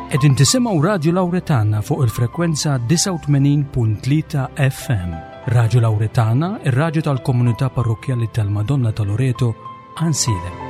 Qegħdin tisimgħu Radju Lawretana fuq il-frekwenza 89.3 FM. Radju Lawretana, ir-radju tal-komunità parrokkjali tal-Madonna ta' Loreto, Ansilem.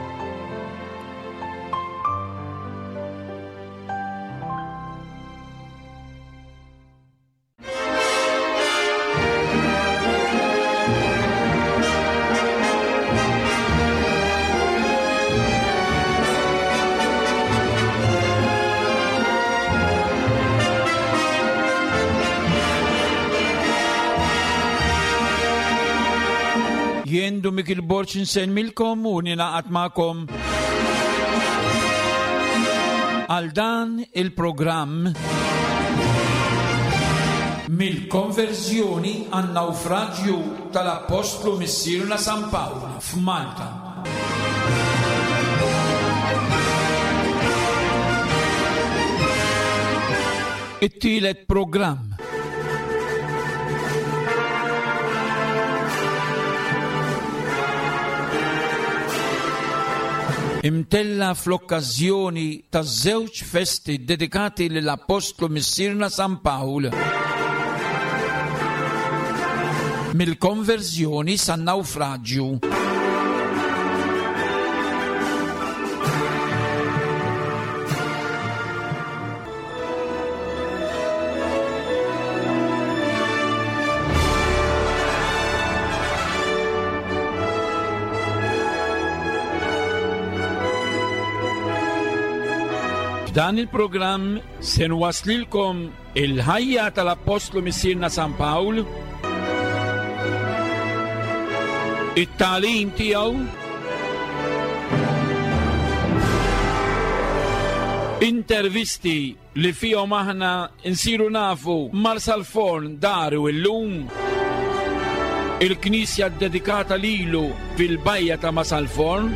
Jien Dumik il-Borċ nsemmilkom u ninaqat magħkom għal dan il-programm mill-konverżjoni għan-nawfraġju tal-Appostlu Missierna San Pawl f'Malta. It-tielet programm. Imtella fl-okkażjoni taż-żewġ festi ddedikati lill-Appostlu Missierna San Pawl. Mill-konverżjoni san-nawfraġju. F'dan il-programm se nwaslilkom il-ħajja tal-Appostlu Missierna San Pawl, it-tagħlim tiegħu, intervisti li fihom aħna nsiru nafu Marsalforn daru illum, il-knisja ddedikata lilu fil-bajja ta' Masalforn,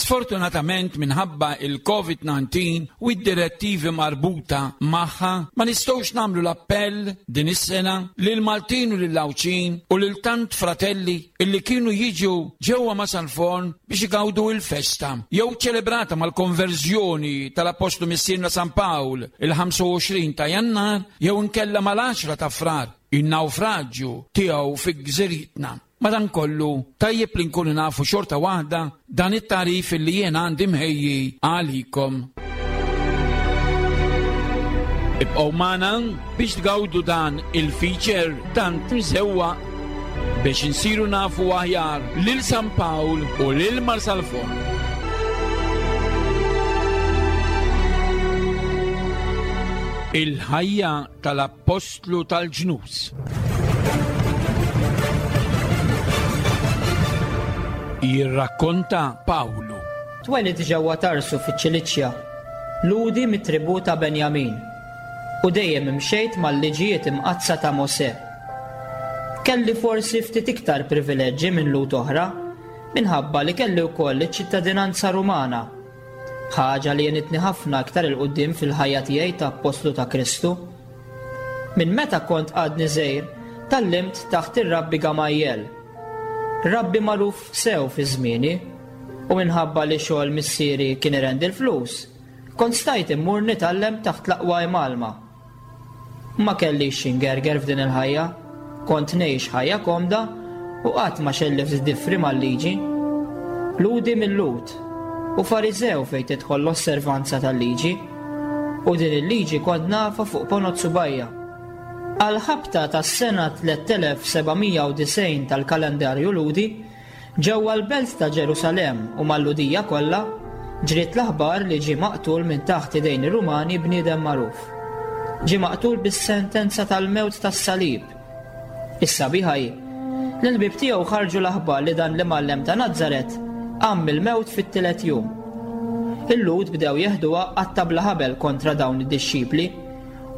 Sfortunatament minħabba il-COVID-19 u d-direttivi marbuta magħha ma nistgħux nagħmlu l-appell din is-sena lil Maltin u lil Għawdxin u lil tant fratelli illi kienu jiġu ġewwa Masalforn biex igawdu il-festa jew ċelebrata mal-konverżjoni tal-Appostlu Missierna San Pawl il-25 ta' Jannar jew inkella mal-10 ta' Frar in-nawfraġġju tiegħu fi gżiritna. Madankollu, tajjeb li nkunu nafu xorta waħda dan it-tagħrif illi jien għandi mħejji għalikom. Ibqgħu magħna biex tgawdu dan il-feature tant mżewwaq biex insiru nafu aħjar lil San Pawl u lil Marsalforn. Il-ħajja tal-Appostlu tal-ġnus. Jirrakkonta Pawlu. Twelidt ġewwa Tarsu fiċ-Ċiliċja, Lhudi mit-tribù ta' Benjamin, u dejjem imxejt mal-liġijiet imqaddsa ta' Mosè. Kelli forsi ftit iktar privileġġi minn Lhud oħra, minħabba li kelli wkoll iċ-ċittadinanza Rumana, ħaġa li għenitni ħafna iktar 'il quddiem fil-ħajja tiegħi ta' appostlu ta' Kristu. Minn meta kont għadni żgħir, tgħallimt taħt ir-Rabbi Gamajjel, rabbi magħruf sew fi żmieni, u minħabba li xogħol missieri kien irendi l-flus, kont stajt immur nitgħallem taħt l-aqwa imgħallma. Ma kellix xi ngerger f'din il-ħajja, kont ngħix ħajja komda u qatt ma xellift diffri mal-liġi. Lhudi mil-Lhud, u Fariżew fejn tidħol l-osservanza tal-liġi, u din il-liġi kont nafha fuq ponot subgħajja. Għall-ħabta tas-sena 3790 tal-kalendarju Lhudi, ġewwa l-belt ta' Ġerusalemm u mal-Lhudija kollha, ġriet l-aħbar li ġie maqtul minn taħt idejn ir-Rumani bniedem magħruf. Ġie maqtul bis-sentenza tal-mewt tas-salib. Is-sabiħa hi li l-ħbieb tiegħu ħarġu l-aħbar li dan l-imgħallem ta' Nazaret qam mill-mewt fit-tielet jum. Il-Lhud bdew jeħduha qatta' bla ħabel kontra dawn id-dixxipli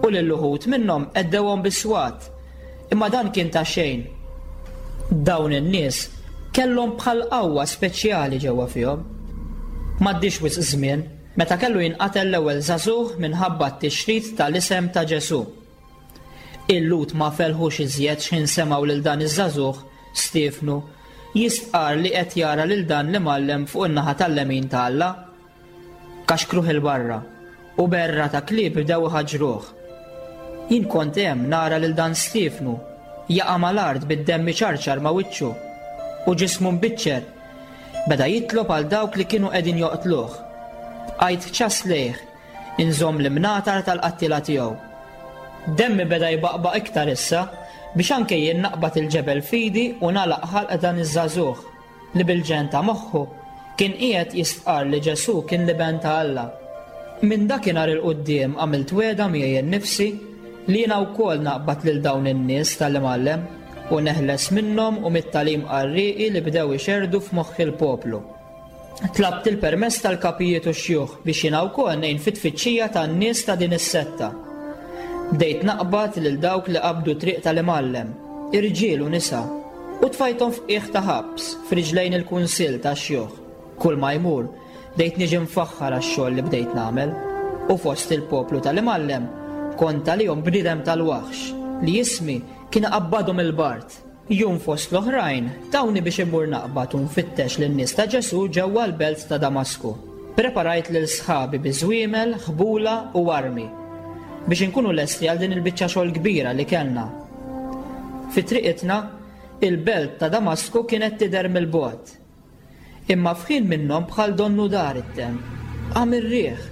u lil uħud minnhom għeddewhom bis-swat, imma dan kien ta' xejn. Dawn in-nies kellhom bħal qawwa speċjali ġewwa fihom. M'għaddiex wisq żmien meta kellu jinqatel l-ewwel żagħżugħ minħabba t-tixrid tal-isem ta' Ġesù. Il-Lhud ma felħux iżjed x'ħin semgħu lil dan iż-żagħżugħ, Stiefnu, jistqarr li qed jara lil dan l-imgħallem fuq in-naħa tal-lemin ta' Alla. Kaxkruh 'il barra, u berra ta' klieb bdew iħaġġruh. Jien kont hemm nara lil dan Stiefnu jaqa' mal-art bid-demm iċarċar ma' wiċċu u ġismu mbiċċer. Beda jitlob għal dawk li kienu qegħdin joqtluh. Bqajt ċass lejh, inżomm l-imnatar tal-qattiela tiegħu. Demmi beda jbaqbaq iktar issa biex anke jien naqbad il-ġebel f'idi u nagħlaq ħalq dan iż-żagħżugħ. li bil-ġenn ta' moħħu kien qiegħed jistqarr li Ġesù kien l-Iben ta' Alla. Minn dakinhar 'il quddiem għamilt wegħda miegħi nnifsi li jiena wkoll naqbad lil dawn in-nies tal-Imgħallem u neħles minnhom u mit-tagħlim qarrieqi li bdew ixerrdu f'moħħ il-poplu. Tlabt il-permess tal-kapijiet u x-xjuħ biex jiena wkoll ngħin fit-tfittxija tan-nies ta' din is-setta. Bdejt naqbad lil dawk li qabdu t-triq tal-Imgħallem, irġiel u nisa, U tfajthom f'qiegħ ta' ħabs, f'riġlejn il-kunsill tax-xjuħ. Kulma jmur, bdejt niġi mfaħħar għax-xogħol li bdejt nagħmel. U fost il-poplu tal-Imgħallem, kont għalihom bniedem tal-waħx, li ismi kien iqabbadhom il-bard. Jum fost l-oħrajn, tawni biex immur naqbad u nfittex lin-nies ta' Ġesù ġewwa l-belt ta' Damasku. Preparajt lil sħabi bi żwiemel, ħbula u armi, biex inkunu lesti għal din il-biċċa xogħol kbira li kellna. Fi triqitna, il-belt ta' Damasku kienet tidher mill-bogħod. Imma f'ħin minnhom bħal donnu dar it-temp, qam ir-riħ,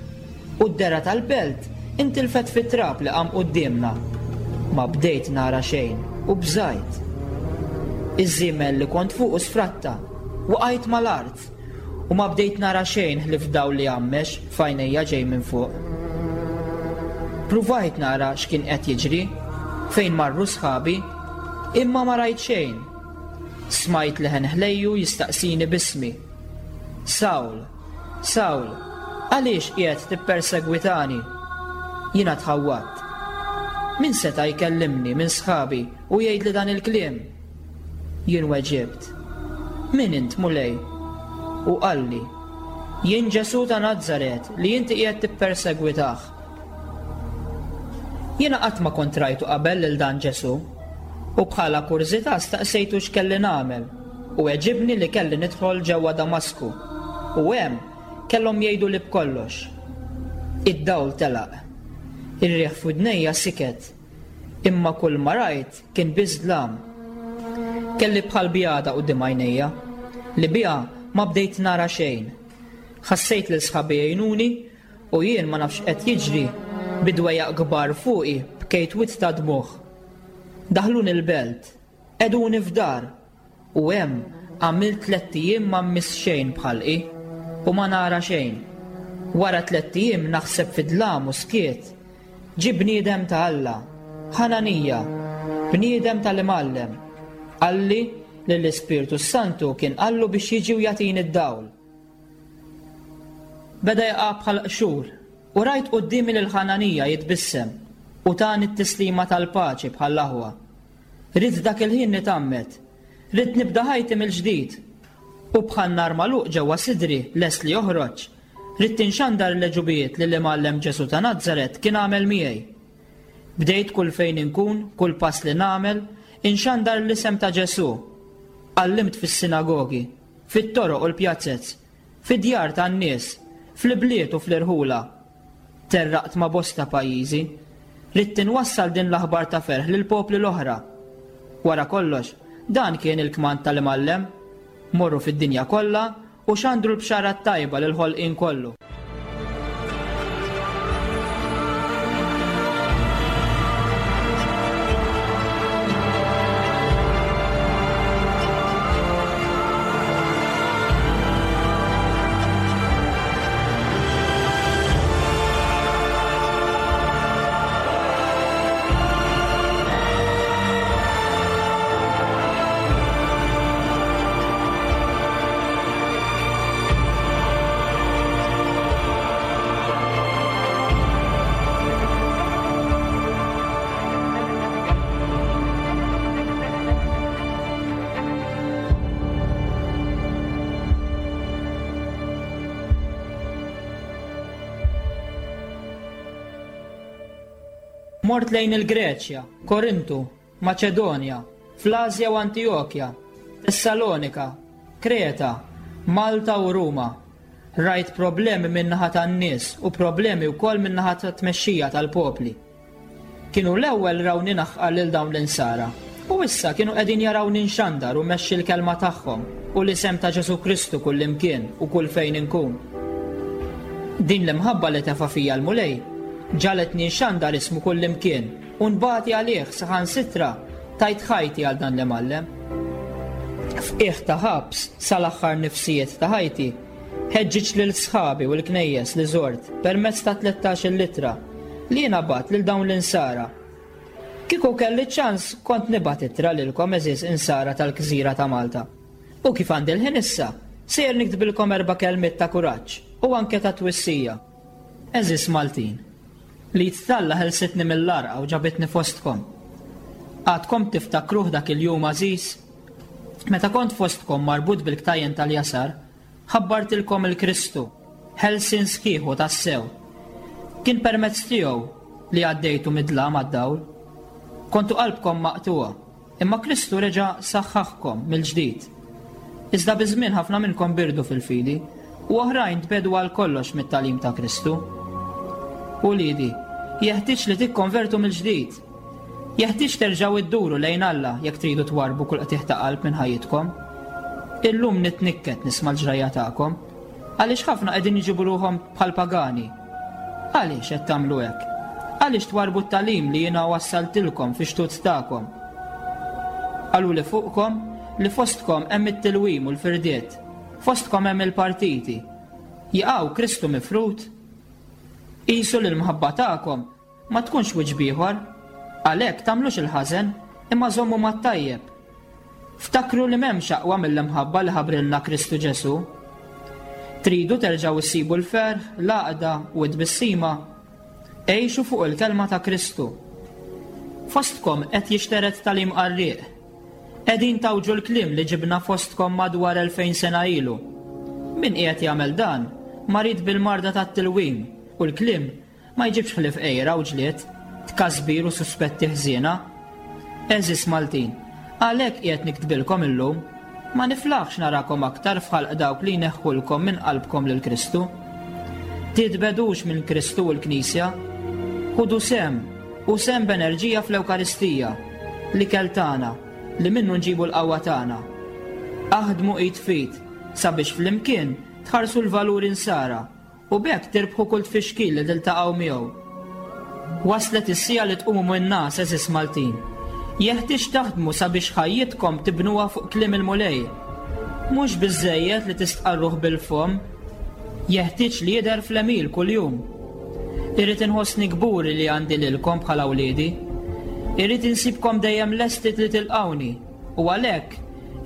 u d-dehra tal-belt intilfet fit-trab li qam quddiemna. Ma bdejt nara xejn u bżajt. Iż-żiemel li kont fuqu sfratta, waqajt mal-art. U ma bdejt nara xejn ħlief dawl li għammex f'għajnejja ġej minn fuq. Pruvajt nara x'kien qed jiġri, fejn marru sħabi, imma ma rajt xejn. Smajt leħen ħlejju jistaqsini b'ismi. Sawl, Sawl, għaliex qiegħed tippersegwitani? Jiena tħawwadt. Min seta' jkellimni minn sħabi u jgħidli dan il-kliem? Jien weġibt, Min int, Mulej? U qalli, Jien Ġesù ta' Nazaret li inti qiegħed tippersegwitah. Jiena qatt ma kont rajtu qabel lil dan Ġesù, u bħala kurżità staqsejtu x'kelli nagħmel, u weġibni li kelli nidħol ġewwa Damasku, u hemm kellhom jgħiduli b'kollox. Id-dawl telaq. Ir-riħ f'widnejja siket. Imma kull ma rajt kien biss dlam. Kelli bħal bjada quddiem għajnejja, li biha ma bdejt nara xejn. Ħassejt lil sħabi jgħinuni u jien ma nafx x'qed jiġri, bi dwejjaq kbar fuqi bkejt wied ta' dmugħ. Daħluni l-belt, qegħduni f'dar, U hemm għamilt tlett ijiem ma mmiss xejn b'ħalqi u ma nara xejn. Wara tlett ijiem naħseb fi dlam u skiet, ġie bniedem ta' Alla, Ħananija, bniedem tal-Imgħallem, qalli li l-Ispirtu s-Santu kien qallu biex jiġi u jagħtini d-dawl. Beda jaqa' bħal qxur u rajt quddiemi lil Ħananija jitbissem u tani t-tislima tal-paċi bħall-aħwa. Ridt dak il-ħin nitgħammed. Ridt nibda ħajti mill-ġdid. U bħal nar magħluq ġewwa sidri lest li joħroġ, ridt inxandar l-għeġubijiet li l-Imgħallem Ġesù ta' Nazaret kien għamel miegħi. Bdejt kull fejn inkun, kull pass li nagħmel, inxandar l-isem ta' Ġesù. Għallimt fis-sinagogi, fit-toroq u l-pjazez, fid-djar tan-nies, fl-ibliet u fl-irħula. Terraqt ma' bosta pajjiżi. Ridt inwassal din l-aħbar ta' ferħ lill-popli l-oħra. Wara kollox, dan kien il-kmand tal-Imgħallem, Morru fid-dinja kollha u xandru l-bxara t-tajba lill-ħolqien kollu. Mort lejn il-Greċja, Korintu, Maċedonja, fl-Asja u Antijokja, Tessalonika, Kreta, Malta u Ruma. Rajt problemi min-naħa tan-nies u problemi wkoll min-naħa tat-tmexxija tal-popli. Kienu l-ewwel rawni naħqar lil dawn l-insara, u issa kienu qegħdin jarawni nxandar u mmexxi l-kelma tagħhom u l-isem ta' Ġesù Kristu kullimkien u kull fejn inkun. Din l-imħabba li tefa' fija l-Mulej ġagħletni nxandar ismu kullimkien u nbati għalih saħansitra tajt ħajti għal dan l-imgħallem. F'qiegħ ta' ħabs sal-aħħar nifsijiet ta' ħajti, ħeġġiġt lil sħabi u l-knejjes li żort permezz ta' 13-il ittra li jiena bgħatt lil dawn l-insara. Kieku kelli ċ-ċans kont nibgħat ittra lilkom għeżież insara tal-gżira ta' Malta. U kif għandi l-ħin issa, sejjer niktbilkom erba' kelmiet ta' kuraġġ u anke ta' twissija. Għeżież Maltin, l-id t'Alla ħelsitni mill-għarqa u ġabitni fostkom. Għadkom tiftakruh dak il-jum għażiż? Meta kont fostkom marbut bil-ktajjen tal-jasar, Ħabbartilkom il-Kristu, ħelsien sħiħ u tassew. Kien permezz tiegħu li għaddejtu mid-dlam għad-dawl. Kontu qalbkom maqtugħa, imma Kristu reġa' saħħaħkom mill-ġdid. Iżda biż-żmien ħafna minnkom birdu fil-fidi, u oħrajn tbegħdu għal kollox mit-tagħlim ta' Kristu. Uliedi, jeħtieġ li tikkonvertu mill-ġdid. Jeħtieġ terġgħu dduru lejn Alla jekk tridu twarrbu kull qtigħ ta' qalb minn ħajjitkom. Illum nitnikket nisma' l-ġrajja tagħkom, għaliex ħafna qegħdin iġibu ruħhom bħal pagani. Għaliex qed tagħmlu hekk? Għaliex twarrbu t-tagħlim li jiena wassaltilkom fix-xtut tagħkom? Qaluli fuqkom li fostkom hemm it-tilwim u l-firdiet, fostkom hemm il-partiti. Jaqaw Kristu mifrud? Qisu li l-mħabba tagħkom Ma tkunx wiċċ b'ieħor. Għalhekk tagħmlux il-ħażen, imma żommu mat-tajjeb. Ftakru li m'hemmx aqwa mill-imħabba li ħabbrilna Kristu Ġesù. Tridu terġgħu issibu l-ferħ, l-għaqda u t-tbissima? Għixu fuq il-kelma ta' Kristu. Fostkom qed jixtered tagħlim qarrieq. Qegħdin tgħawġu l-kliem li ġibna fostkom madwar 2000 sena ilu. Min qiegħed jagħmel dan, marid bil-marda tat-tilwim u l-kliem Ma jġibx ħlief għira u ġlied, tkasbir u suspetti ħżiena. Għeżież Maltin, għalhekk qiegħed niktbilkom illum. Ma niflaħx narakom aktar f'ħalq dawk li jneħħulkom minn qalbkom lil Kristu. Titbegħdux minn Kristu u l-Knisja. Ħudu sehem, u sehem b'enerġija fl-Ewkaristija, l-ikel tagħna, li minnu nġibu l-qawwa tagħna. Aħdmu id f'id sabiex flimkien tħarsu l-valuri nsara U b'hekk tirbħu kull tfixkil li tiltaqgħu miegħu. Waslet is-siegħa li tqumu min-ngħas għeżież Maltin. Jeħtieġ taħdmu sabiex ħajjitkom tibnuha fuq kliem il-Mulej. Mhux biżżejjed li tistqarruh bil-fomm, jeħtieġ li jidher fl-għemil kuljum. Irrid inħossni kburi li għandi lilkom bħala wliedi. Irrid insibkom dejjem lesti li tilqgħuni. U għalhekk,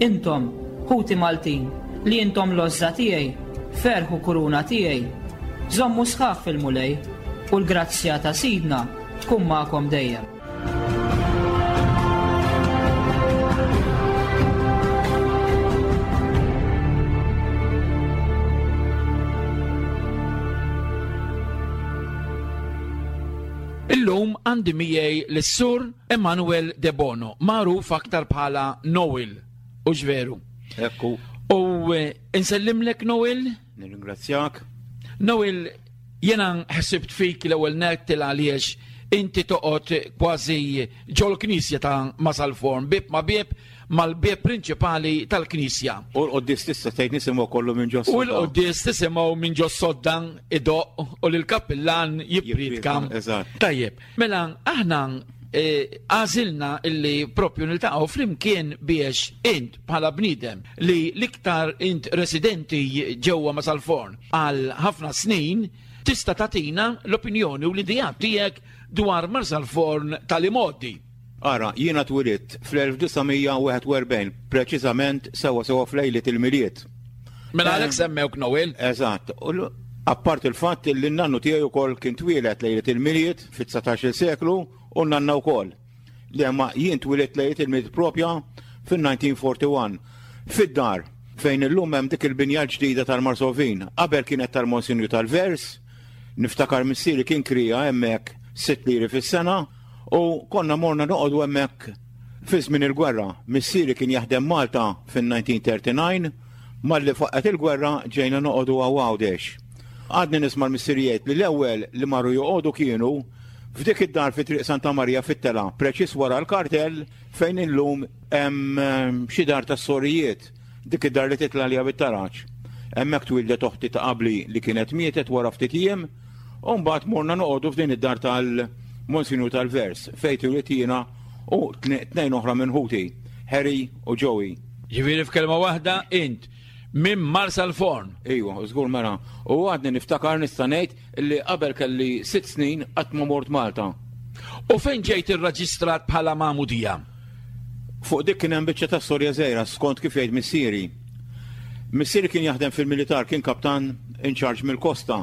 intom, ħuti Maltin, li intom l-għożża tiegħi, ferħ u kuruna tiegħi, żommu sħaħ fil-Mulej, u l-grazzja ta' Sidna tkun magħkom dejjem. Illum għandi miegħi lis-Sur Emanuel Debono, magħruf aktar bħala Noel, hux veru? Ekku. U eh, insellimlek Noel? Nirringrazzjak. Noel, jena ħsibt fik l-ewwel net til għaliex inti toqgħod kważi ġol-knisja ta' Masalforn, bib ma' bib mal-bieb prinċipali tal-knisja. U l-qoddis tista' tgħid nisimgħu kollu minn ġos. U l-qoddis tisimgħu minn ġos sodda idoq u lill-kappillan jippriedka. Eżatt. Tajjeb, mela aħna eh, għażilna illi propju niltaqgħu flimkien biex int bħala bniedem li l-iktar int residenti ġewwa ma sal-forn għal ħafna snin tista' tagħtina l-opinjoni u l-idea tiegħek dwar Marsalforn tal-imgħoddi. Ara, jiena twilidt fl-1941, preċiżament sewwa sewwa f'lejliet il-Milied. Mela għalhekk semmewk Noel. Eżatt. Apart il-fatt li n-nannu tiegħi wkoll kien twieled lejliet il-Milied fit-19-il seklu u n-nanna wkoll. Le ma jien twilidt lejliet il-Milied propja fin-1941. Fid-dar fejn illum hemm dik il-binja l-ġdida tal-Marsovin. Qabel kienet tal-Monsinju tal-Vers, niftakar missieri kien krija hemmhekk sitt liri fis-sena. U konna morna noqogħdu hemmhekk fi żmien il-gwerra. Missieri kien jaħdem Malta fin-1939, malli faqqgħet il-gwerra ġejna noqogħdu hawn Għawdex. Għadni nisma' l-missieri jgħid li l-ewwel li marru joqogħdu kienu f'dik id-dar fi Triq Santa Marija fit-telgħa, preċiż wara l-kartell fejn illum hemm xi dar tas-sorijiet. Dik id-dar li titla' għaliha bit-taraġ. Hemmhekk twieldet oħti ta' qabli li kienet mietet wara ftit jiem, u mbagħad morna noqogħdu f'din id-dar tal-Monsinjur tal-Vers fejn twilidt jiena u tnejn oħra minn ħuti, Harry u Joey. Ġifieri f'kelma waħda int minn Marsalforn. Ejwa, żgur mela. U għadni niftakar nista' ngħid li qabel kelli sitt snin qatt ma mort Malta. U fejn ġejt irreġistrat bħala magħmudija? Fuq dik kien hemm biċċa ta' storja żgħira skont kif jgħid missieri. Missieri kien jaħdem fil-militar, kien kaptan in charge mill-kosta.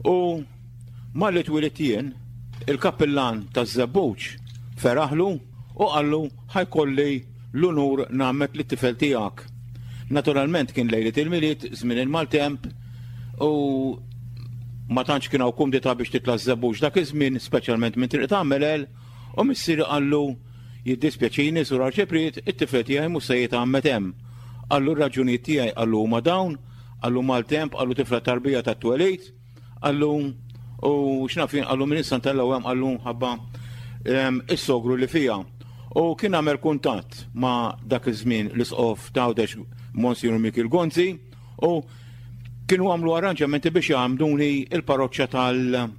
U malli twilidt jien, il-kappillan taż-Żebbuġ feraħlu u qallu ħa jkolli l-unur nagħmmed lit-tifel tiegħek. Naturalment kien lejliet il-Milied, żmien il-maltemp, u ma tantx kien hawn kumdità biex titla' ż-Żebbuġ dak iż-żmien, speċjalment minn Triq ta' Melel, U missieri qallu, Jiddispjaċini, Sur Arċipriet, it-tifel tiegħi mhux se jitgħammed hemm. Qallu r-raġunijiet tiegħi, qallu huma dawn, qallu maltemp, qallu tifla tarbija tat-twelid, qallu u x'naf jien, qallu minn issa ntellgħu hemm, qallu ħabba ehm, is-sogru li fija. U kien għamel kuntatt ma' dak iż-żmien l-isqof ta' Għawdex Monsignor Mikiel Gonzi u kienu għamlu arranġamenti biex jgħamduni il-parroċċa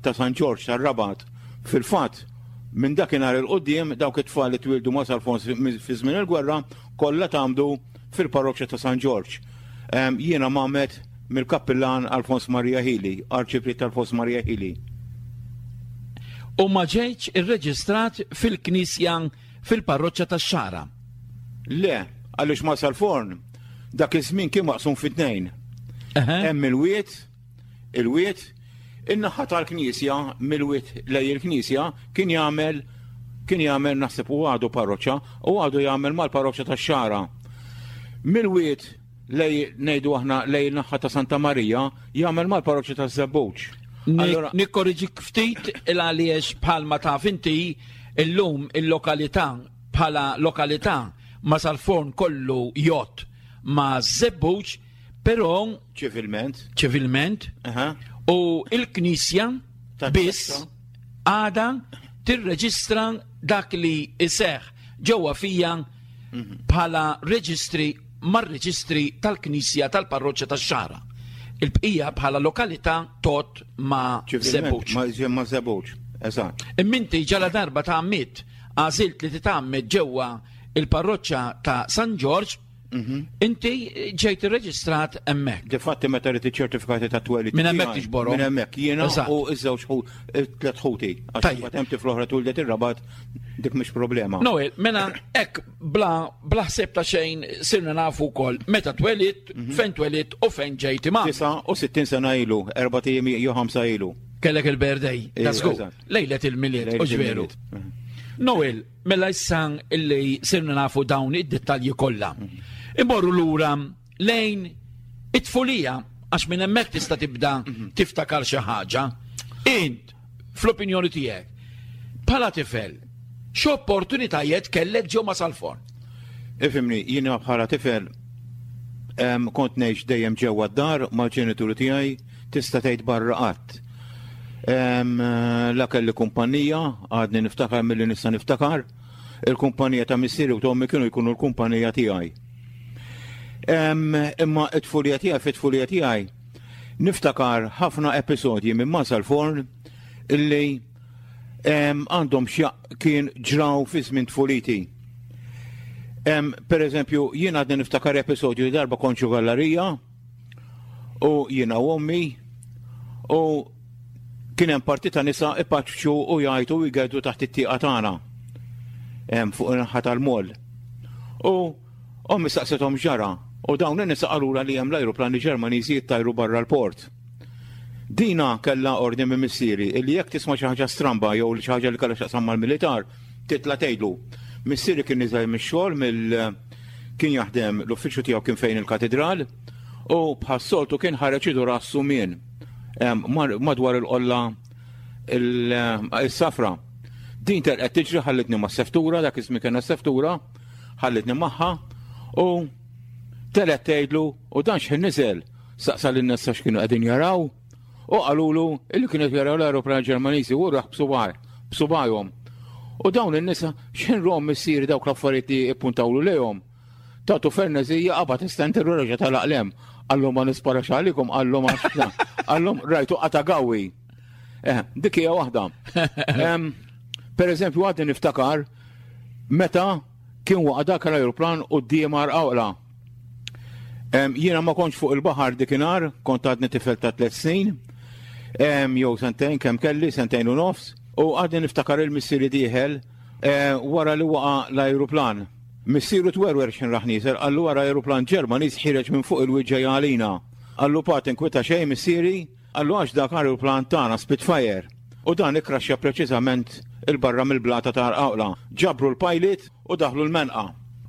ta' San Ġorġ tar-Rabat. Fil-fatt, minn dakinhar 'il quddiem dawk it-tfal li twieldu ma' Salfons fi żmien il-gwerra kollha tgħammdu fil-parroċċa ta' San Ġorġ. Jiena mgħammed mill-Kappillan Alfons Maria Hili, Arċipriet Alfons Maria Hili. U ma ġejtx irreġistrat fil-knisja fil-parroċċa tax-Xagħra? Le, għaliex ma' Salforn dak iż-żmien kien maqsum fi tnejn. Hemm il-wied Il-wied, in-naħa tal-knisja, mill-wied lejn il-knisja, kien jagħmel kien jagħmel naħseb u għadu parroċċa u għadu jagħmel mal-parroċċa tax-Xagħra. Mill-wied lej ngħidu aħna lej naħa ta' Santa Marija jagħmel mal-parroċċa taż-Żebbuġ. Nikkorriġik ftit il għaliex bħalma taf inti illum il-lokalità bħala lokalità ma sal-forn kollu jgħodd ma' Żebbuġ Però ċivilment. Ċivilment. U il-Knisja biss għada tirreġistra dak li iseħ ġewwa fija mhm. bħala reġistri mar-reġistri tal-Knisja tal-Parroċċa tax-Xagħra. Il-bqija bħala lokalità tot ma' Żebbuġ. Ma' Żebbuġ, eżatt. Imminti ġala darba ta' għammiet għażilt li titgħammed ġewwa il-parroċċa ta' San Ġorġ Mhm. Inti ġejt irreġistrat hemmhekk. Difatti meta rrid iċ-ċertifikati ta' twelid. Minn hemmhekk tiġborhom. Minn hemmhekk jiena u ż-żewġ tliet ħuti. Għax hemm tifla oħra twildet ir-Rabat dik mhix problema. Noel, mela hekk bla bla ħsieb ta' xejn sirna nafu wkoll meta twelid, mhm. fejn twelid u fejn ġejt imma. 69 sena ilu, erba' ijiem jew ħamsa ilu. Kellek il-birthday, ta' żgur. Lejlet il-milied, u ġveru. Mhm. Noel, Mela issa illi sirna nafu dawn id-dettalji kollha. Imorru lura lejn it-tfulija għax minn hemmhekk tista' tibda mhm. tiftakar xi ħaġa. Int, fl-opinjoni tiegħek, bħala tifel, x'opportunitajiet kellek ġew ma' Salfon? Ifimni, jiena bħala tifel kont ngħix dejjem ġewwa d-dar mal-ġenituri tiegħi tista' tgħid barra qatt. La kelli kumpanija, għadni niftakar milli nista' niftakar, il-kumpanija ta' missieri u tommi kienu jkunu l-kumpanija tiegħi. Imma it-tfulija tiegħi fit-tfulija tiegħi niftakar ħafna episodji minn Masal Forn illi għandhom x'jaq kien ġraw fi żmien tfuliti. Per eżempju, jien għadni niftakar episodju li darba konċu gallerija, u jiena u ommi u kien hemm parti ta' nisa ipaċċu u jgħajtu u jgeddu taħt it-tieqa tagħna fuq in-naħa tal-moll. U ommi staqsithom ġara u dawn in-nisa qalula li hemm l-ajruplani Ġermaniżi jittajru barra l-port. Dina kellha ordni minn missieri illi jekk tisma' xi ħaġa stramba jew xi ħaġa li kellha x'taqsam mal-militar, titla' tgħidlu. Missieri kien niżel mix-xogħol mill kien jaħdem l-uffiċċju tiegħu kien fejn il-katidral u bħas-soltu kien ħareġ idur għas-sumien madwar il-qolla il-safra. Din telqet tiġri ħallitni ma' seftura, dak iż-żmien kellna seftura, ħallitni magħha u telqet tgħidlu u dan x'ħin niżel saqsa lin-nies x'kienu qegħdin jaraw u qalulu illi kienu jaraw l-aeroplan Ġermaniżi u raħ b'subaj, b'subajhom. U dawn in-nisa x'ħin rom missieri dawk l-affarijiet li ippuntawlu lejhom. Tatu fernezija qabad istenteru reġa' tal-aqlem. Qallhom ma nisparax għalikom, qallhom għax qallhom rajtu qata' gawi. Eh, dik hija waħda. Per eżempju, għadni niftakar meta kien waqa' dak l-ajruplan quddiem Għarqawla. Jiena ma kontx fuq il-baħar dikinhar, kont għadni tifel ta' tliet snin, jew sentejn kemm kelli, sentejn u nofs, u għadni niftakar il-missieri dieħel eh, wara li waqa' l-ajruplan. Missieru twerwer x'ħin rah nieżel, qallu ara ajruplan Ġermaniż ħiereġ minn fuq il-wied ġej għalina. Qallu pa tinkwita xejn missieri, qallu għax dak ajruplan tagħna Spitfire. U dan ikkraxxja preċiżament 'il barra mill-blata ta' Għarqawla. Ġabru l-pilot u daħlu l-menqa.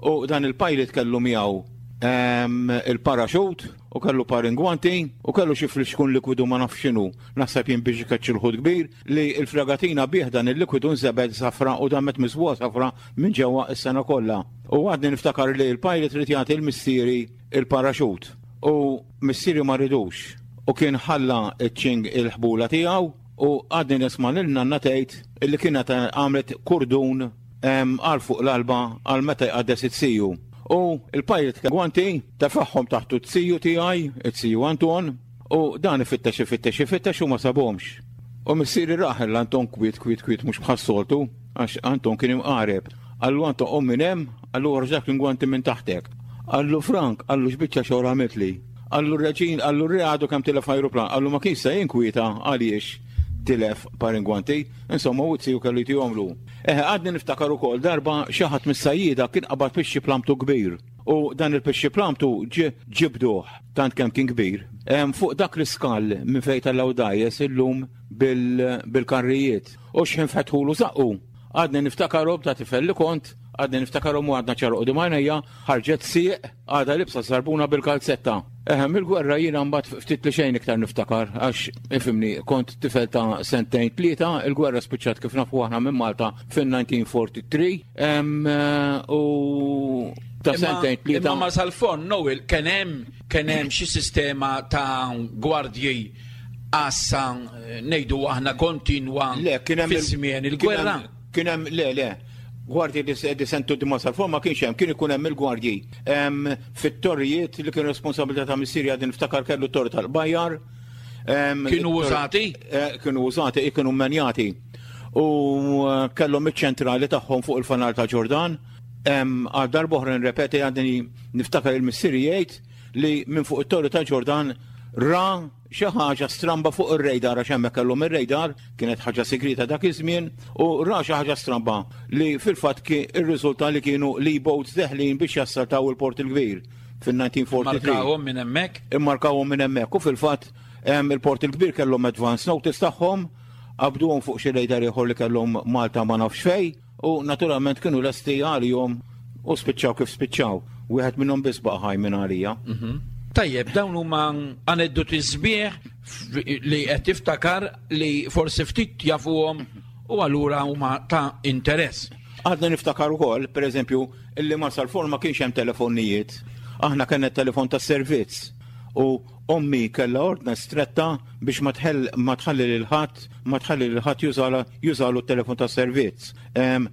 U dan il-pilot kellu miegħu il-paraxut u kellu par ingwanti u kellu xi flixkun likwidu ma nafx x'inhu, naħseb jien biex ikeċċi l-ħut kbir, li l-fregatina bih dan il-likwidu nżebgħet safra u damet miżbugħa safra minn ġewwa s-sena kollha. U għadni niftakar li l-pilot ried jagħti 'l missieri l-paraxut u missieri ma ridux u kien ħalla ċ-ċing il-ħbula tiegħu u għadni nisma' lil nanna tgħid li kienet għamlet kurdun għal fuq l-alba għal meta jqaddes it-siju. U l-pilot gwanti tefagħhom taħtu t-siju tiegħi, it-siju Anton, U dan ifittex, ifittex, ifittex u ma sabhomx. U missieri rah 'l Anton kwiet, kwiet, kwiet mhux bħas-soltu, għax Anton kien imqareb. Qallu Anton qum minn hemm, qallu oħroġ dak l-ingwanti minn taħtek. Qallu Frank, qallu x'biċċa xogħol għamiltli. Qallu r-reġin, qallu r-re għadu kemm tilef ajruplan, qallu ma kienx se jinkwieta għaliex tilef par ingwanti. Insomma, u t-siju kellu jtihomlu. Eħe, għadni niftakar ukoll darba xi ħadd mis-sajjieda kien qabad pixxi plamtu kbir. U dan il-pixxi plamtu ġibduh tant kemm kien kbir, fuq dak l-iskall minn fejn tellgħu dgħajjes illum bil-karrijiet. U x'ħin fetħulu żaqqu, għadni niftakarhom ta' tifel li kont, għadni niftakarhom u għadna ċar quddiem għajnejja, ħarġet sieq għadha libsa żarbuna bil-kalzetta. Eħe, mill-gwerra jiena mbagħad ftit li xejn iktar niftakar għax ifhimni kont tifel ta' sentejn tlieta, il-gwerra spiċċat kif nafu aħna minn Malta fin-1943 u ta' sentejn tlieta. Imma ma sal-fond Noel kien hemm kien hemm xi sistema ta' gwardji għassa ngħidu aħna kontinwa Le, kien hemm fi żmien il-gwerra. Kien hemm le le gwardji di sentu di Marsalforn ma kienx hemm, kien ikun hemm il-gwardji fit-torrijiet li kien responsabilità ta' missieri għadni niftakar kellu t-torri tal-Bajjar. Kienu użati? Eh, kienu użati, kienu menjati. U eh, kellhom iċ-ċentrali tagħhom fuq il-fanal ta' Ġordan. Għal darb'oħra nirrepeti għadni niftakar il-missieri jgħid li minn fuq it-torri ta' Ġordan ra xi ħaġa stramba fuq ir-radar għax hemmhekk kellhom ir-radar, kienet ħaġa sigrieta dak iż-żmien, u ra xi ħaġa stramba li fil-fatt irriżulta li kienu l-E-boats deħlin biex jassaltaw il-Port il-Kbir fin-1943. Markawhom minn hemmhekk? Immarkawhom minn hemmhekk u fil-fatt il-Port il-Kbir kellhom advance notice tagħhom, qabduhom fuq xi radar ieħor li kellhom Malta ma nafx fejn, U naturalment kienu lesti għalihom u spiċċaw kif spiċċaw. Wieħed minnhom biss baqa' ħaj minn għalija. Mhm. Tajjeb, dawn huma aneddoti sbieħ li qed tiftakar li forsi ftit jafuhom u allura huma ta' interess. Għadna niftakar ukoll, pereżempju, illi Marsalforn ma kienx hemm telefonijiet. Aħna kellna telefon tas-servizz u Ommi kellha ordna stretta biex ma tħalli lil ħadd ma tħalli lil ħadd jużalu t-telefon tas-servizz.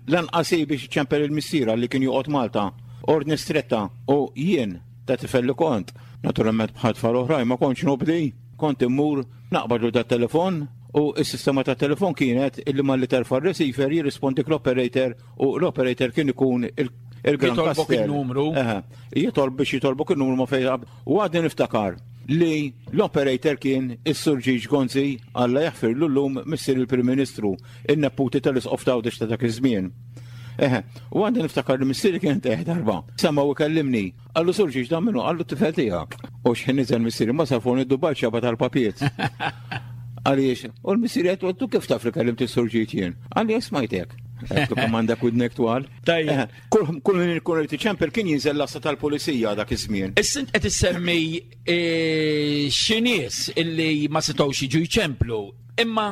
Lanqas hi biex iċċempel lil missierha li kien joqgħod Malta. Ordni stretta u jien, ta' tifel li kont, naturalment bħal tfal oħrajn ma kontx nobdi, kont immur naqbadlu dat-telefon u s-sistema tat-telefon kienet illi malli terfa' r-receiver jirrispondik l-operator u l-operator kien ikun il-Gran Jitolbok il-numru. Jitolb biex jitolbok il-numru ma fejn U għadni niftakar li l-operator kien is-Sur Ġiġ Gonzi, Alla jaħfirlu llum, missier il-Prim Ministru, in-neputi tal-Isqof t'Għawdex ta' dak iż-żmien. Eħe, u għadni niftakar li missieri kien tejħ darba. Sema' u kellimni. Qallu Sur Ġiġ dan minnu, qallu t-tifel tiegħek. U x'ħin niżel missieri ma sar fuq id-dubal xaba tal-papiet. Għaliex, u l-missieri għedt tu kif taf li kellimt is-Sur Ġiġ jien? Qalli smajtek. Għedtlu kemm għandek widnek twal. Tajjeb. Kull min ikun irid iċempel kien jinżel l-għassa tal-pulizija dak iż-żmien. Issa int qed issemmi e, xi nies illi ma setgħux jiġu jċemplu, imma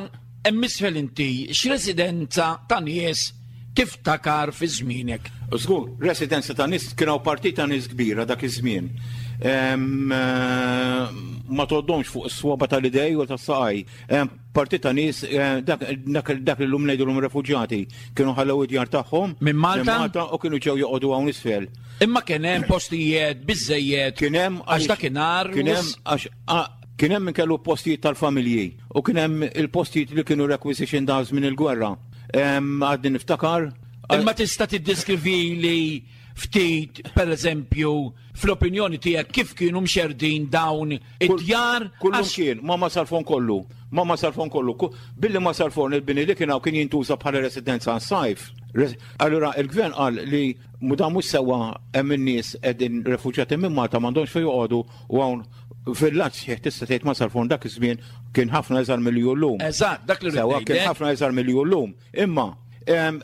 Hemm isfel inti x'residenza ta' nies tiftakar fi żmienek? Żgur, residenza ta' nies kien hawn partit ta' nies kbira dak iż-żmien. Eh, ma tgħoddhomx fuq is-swaba tal-idej u tas-saqaj. Partit ta' nies eh, dak li llum ngħidulhom refuġjati kienu ħallew id-djar tagħhom minn Malta? Malta u kienu ġew joqogħdu hawn isfel. Imma kien hemm postijiet biżejjed. Kien hemm għax dakinhar kien hemm għax Kien hemm min kellu postijiet tal-familji u kien hemm il-postijiet li kienu requisition da żmien il-gwerra. Għadni niftakar. Imma tista' tiddeskrivili ftit, per eżempju, fl-opinjoni tiegħek kif kienu mxerdin dawn id-djar? Kullum kien, ma ma salfon kollu, ma ma salfon kollu. Billi ma salfon il-bini li kien hawn kien jintuża bħala residenza għas-sajf. Allura il-gvern qal li dan mhux sewwa hemm in-nies qegħdin refuġjati minn Malta m'għandhomx fejn joqogħdu u hawn villaġġ sħiħ tista' tgħid Marsalforn dak iż-żmien kien ħafna iżgħar milli hu llum. Eżatt, dak li Sewwa kien ħafna iżgħar milli hu llum. Imma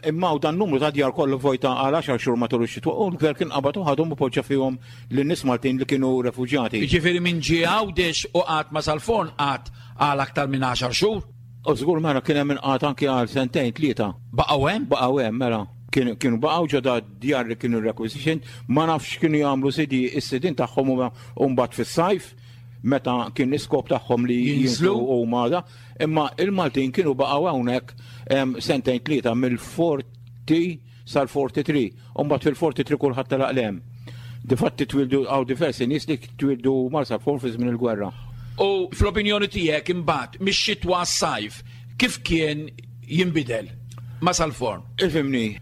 imma u dan numru ta' djar kollu vojta għal 10 xhur matul ix-xitwa u l-gvern kien qabad u ħadhom u poġġa fihom lin-nies Maltin li kienu refuġjati. Jiġifieri min ġie Għawdex u qagħad Marsalforn qagħad għal aktar minn 10 xhur? U żgur mela kien hemm min qagħad anki għal sentejn tlieta. Baqgħu hemm? Baqgħu hemm mela. Kienu baqgħu ġo da djar li kienu requisition, ma nafx x'kienu jagħmlu sidi is-sidien tagħhom u mbagħad fis-sajf meta kien l-iskop tagħhom li jinżlu u da, imma il-Maltin kienu baqgħu hawnhekk sentejn tlieta mill-40 sal-43, u mbagħad fil-43 kulħadd telaq 'l hemm. Difatti twildu hawn diversi nies li twildu Marsalforn fi żmien il-gwerra. U fl-opinjoni tiegħek imbagħad mix-xitwa għas-sajf kif kien jinbidel Marsalforn? Ifhimni,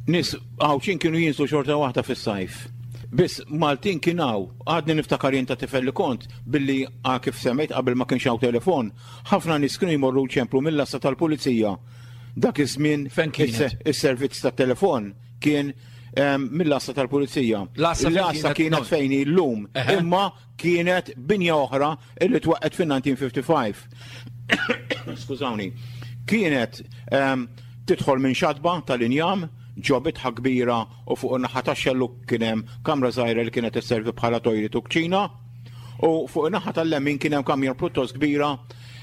nies Għawdxin kienu jinżlu xorta waħda fis-sajf. Biss Maltin kien hawn, għadni niftakar jien ta' tifel li kont, billi kif semmejt qabel ma kienx hawn telefon, ħafna nies kienu jmorru jċemplu mill-għassa tal-pulizija Dak iż-żmien is-servizz tat-telefon kien ehm, mill-għassa tal-pulizija. L-għassa kienet fejn hi llum, imma kienet binja oħra illi twaqqet fin-1955. Skużawni. Kienet ehm, tidħol minn xatba tal-injam, ġo bitħa kbira u fuq in-naħa tax-xellug kien hemm kamra żgħira li kienet isservi bħala toilet u kċina. U fuq in-naħa tal-lemin kien hemm kamra pjuttost kbira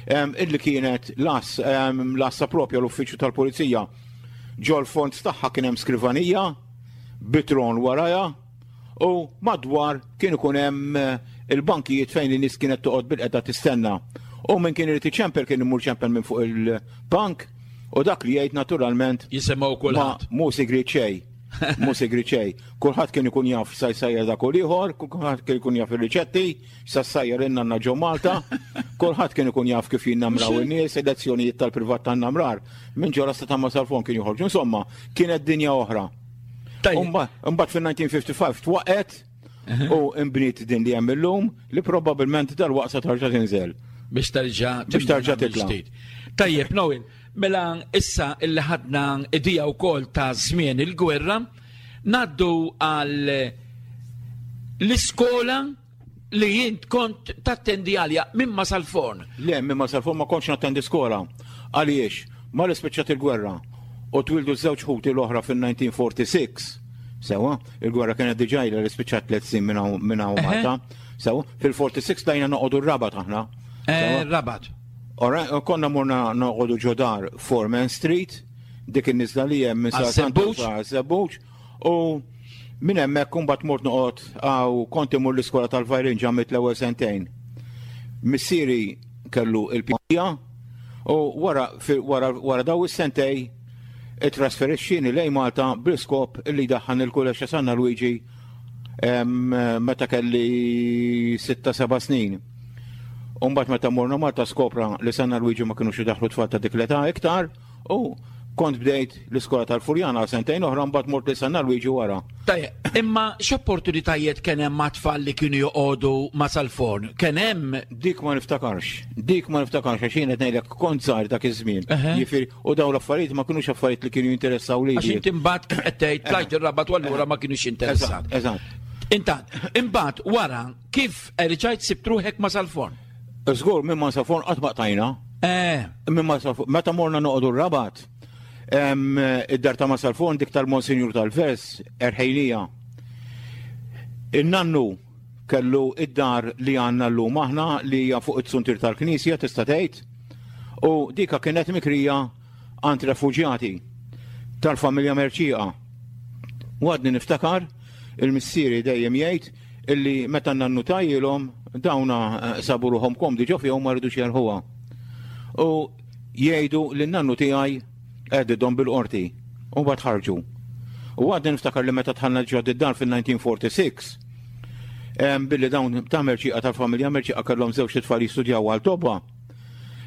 illi kienet l-assa propja l-uffiċċju tal-pulizija. Ġol fond tagħha kien hemm skrivanija bitron warajha u madwar kien ikun hemm eh, il-bankijiet fejn in-nies kienet toqgħod bil-qeda tistenna. U minn kien irid iċempel kien imur ċempel minn fuq il-bank u dak li jgħid naturalment jisimgħu kulħadd. Mhu sigriet xejn. Mhu sigriet xejn. Kulħadd kien ikun jaf sa jsajjar dak u l-ieħor, kulħadd kien ikun jaf ir-riċetti, sa sajjar in-nanna ġo Malta, kulħadd kien ikun jaf kif jinnamraw in-nies, elezzjonijiet tal-privat tan-namrar, minn ġo rasta ta' Marsalforn kien joħorġu. Insomma, kienet dinja oħra. Imbagħad fin-1955 twaqgħet u imbniet din li hemm illum li probabbilment dalwaqt sa tarġa' tinżel. Biex terġa' biex terġa' titla'. Tajjeb, Noel, mela issa illi ħadna idea wkoll ta' żmien il-gwerra, Ngħaddu għal l-iskola li jint kont tattendi għalja minn ma sal-forn. Le, minn ma sal-forn ma kontx nattendi skola. Għaliex, ma li spiċċat il-gwerra u twildu żewġ ħuti l-oħra fil-1946. Sewa, il-gwerra kienet diġà ilha li spiċċat tliet snin minn hawn Malta. Sewa, fil-46 tlajna noqogħdu r-Rabat aħna. Eh, Rabat. Ora, konna morna noqogħdu ġodar Foreman Street, dik in-niżla li hemm minn Sa' Żebbuġ u minn hemmhekk imbagħad mort noqgħod għaw kont imur l-iskola tal-Vajrin ġamit l-ewwel sentejn. Missieri kellu il-pija u wara wara wara daw is-sentej ittrasferixxieni lejn Malta bl-iskop li jdaħħan il-kulleġġ ta' Sanna Luigi meta kelli 6-7 snin. Umbat meta morna Malta skopra li Sanna Luigi ma kienux idaħlu tfal ta' dik l-età iktar u kont bdejt l-iskola tal-Furjana għal sentejn oħra mbagħad mort li Sanna Luigi wara. Tajjeb, imma x'opportunitajiet kien hemm ma' tfal li kienu joqogħdu ma' sal-forn? Kien hemm Dik ma niftakarx, dik ma niftakarx għax jien qed ngħidlek kont żgħir dak iż-żmien. Jiġifieri u dawn l-affarijiet ma kinux affarijiet li kienu jinteressaw lili. Għax inti mbagħad kif qed tgħid tlajt ir-Rabat u allura ma kinux interessat. Eżatt. Intant, imbagħad wara Kif erġajt sibt ruħek ma' Salforn? Żgur, minn ma' Salforn qatt ma qtajna. Eh. Minn ma' Salforn, meta morna noqogħdu r-Rabat, id-dar ta' ma' Salforn dik tal-Monsinjur tal-Vers, erħejnija. In-nannu kellu id-dar li għandna llum aħna li hija fuq it-suntier tal-knisja tista' tgħid. U dika kienet mikrija għand refuġjati tal-familja Mercieqa. U għadni niftakar il-missieri dejjem jgħid illi meta n-nannu tajilhom dawna eh, sabu ruħhom komdi ġo fihom ma rridux jerħuha. U jgħidu li n-nannu tiegħi għedidhom bil-qorti u mbagħad ħarġu. U għadni niftakar li meta tħallna ġo dar fil-1946 billi dawn ta' merċiqa tal-familja merċiqa kellhom żewġ tfal jistudjaw għal tobba.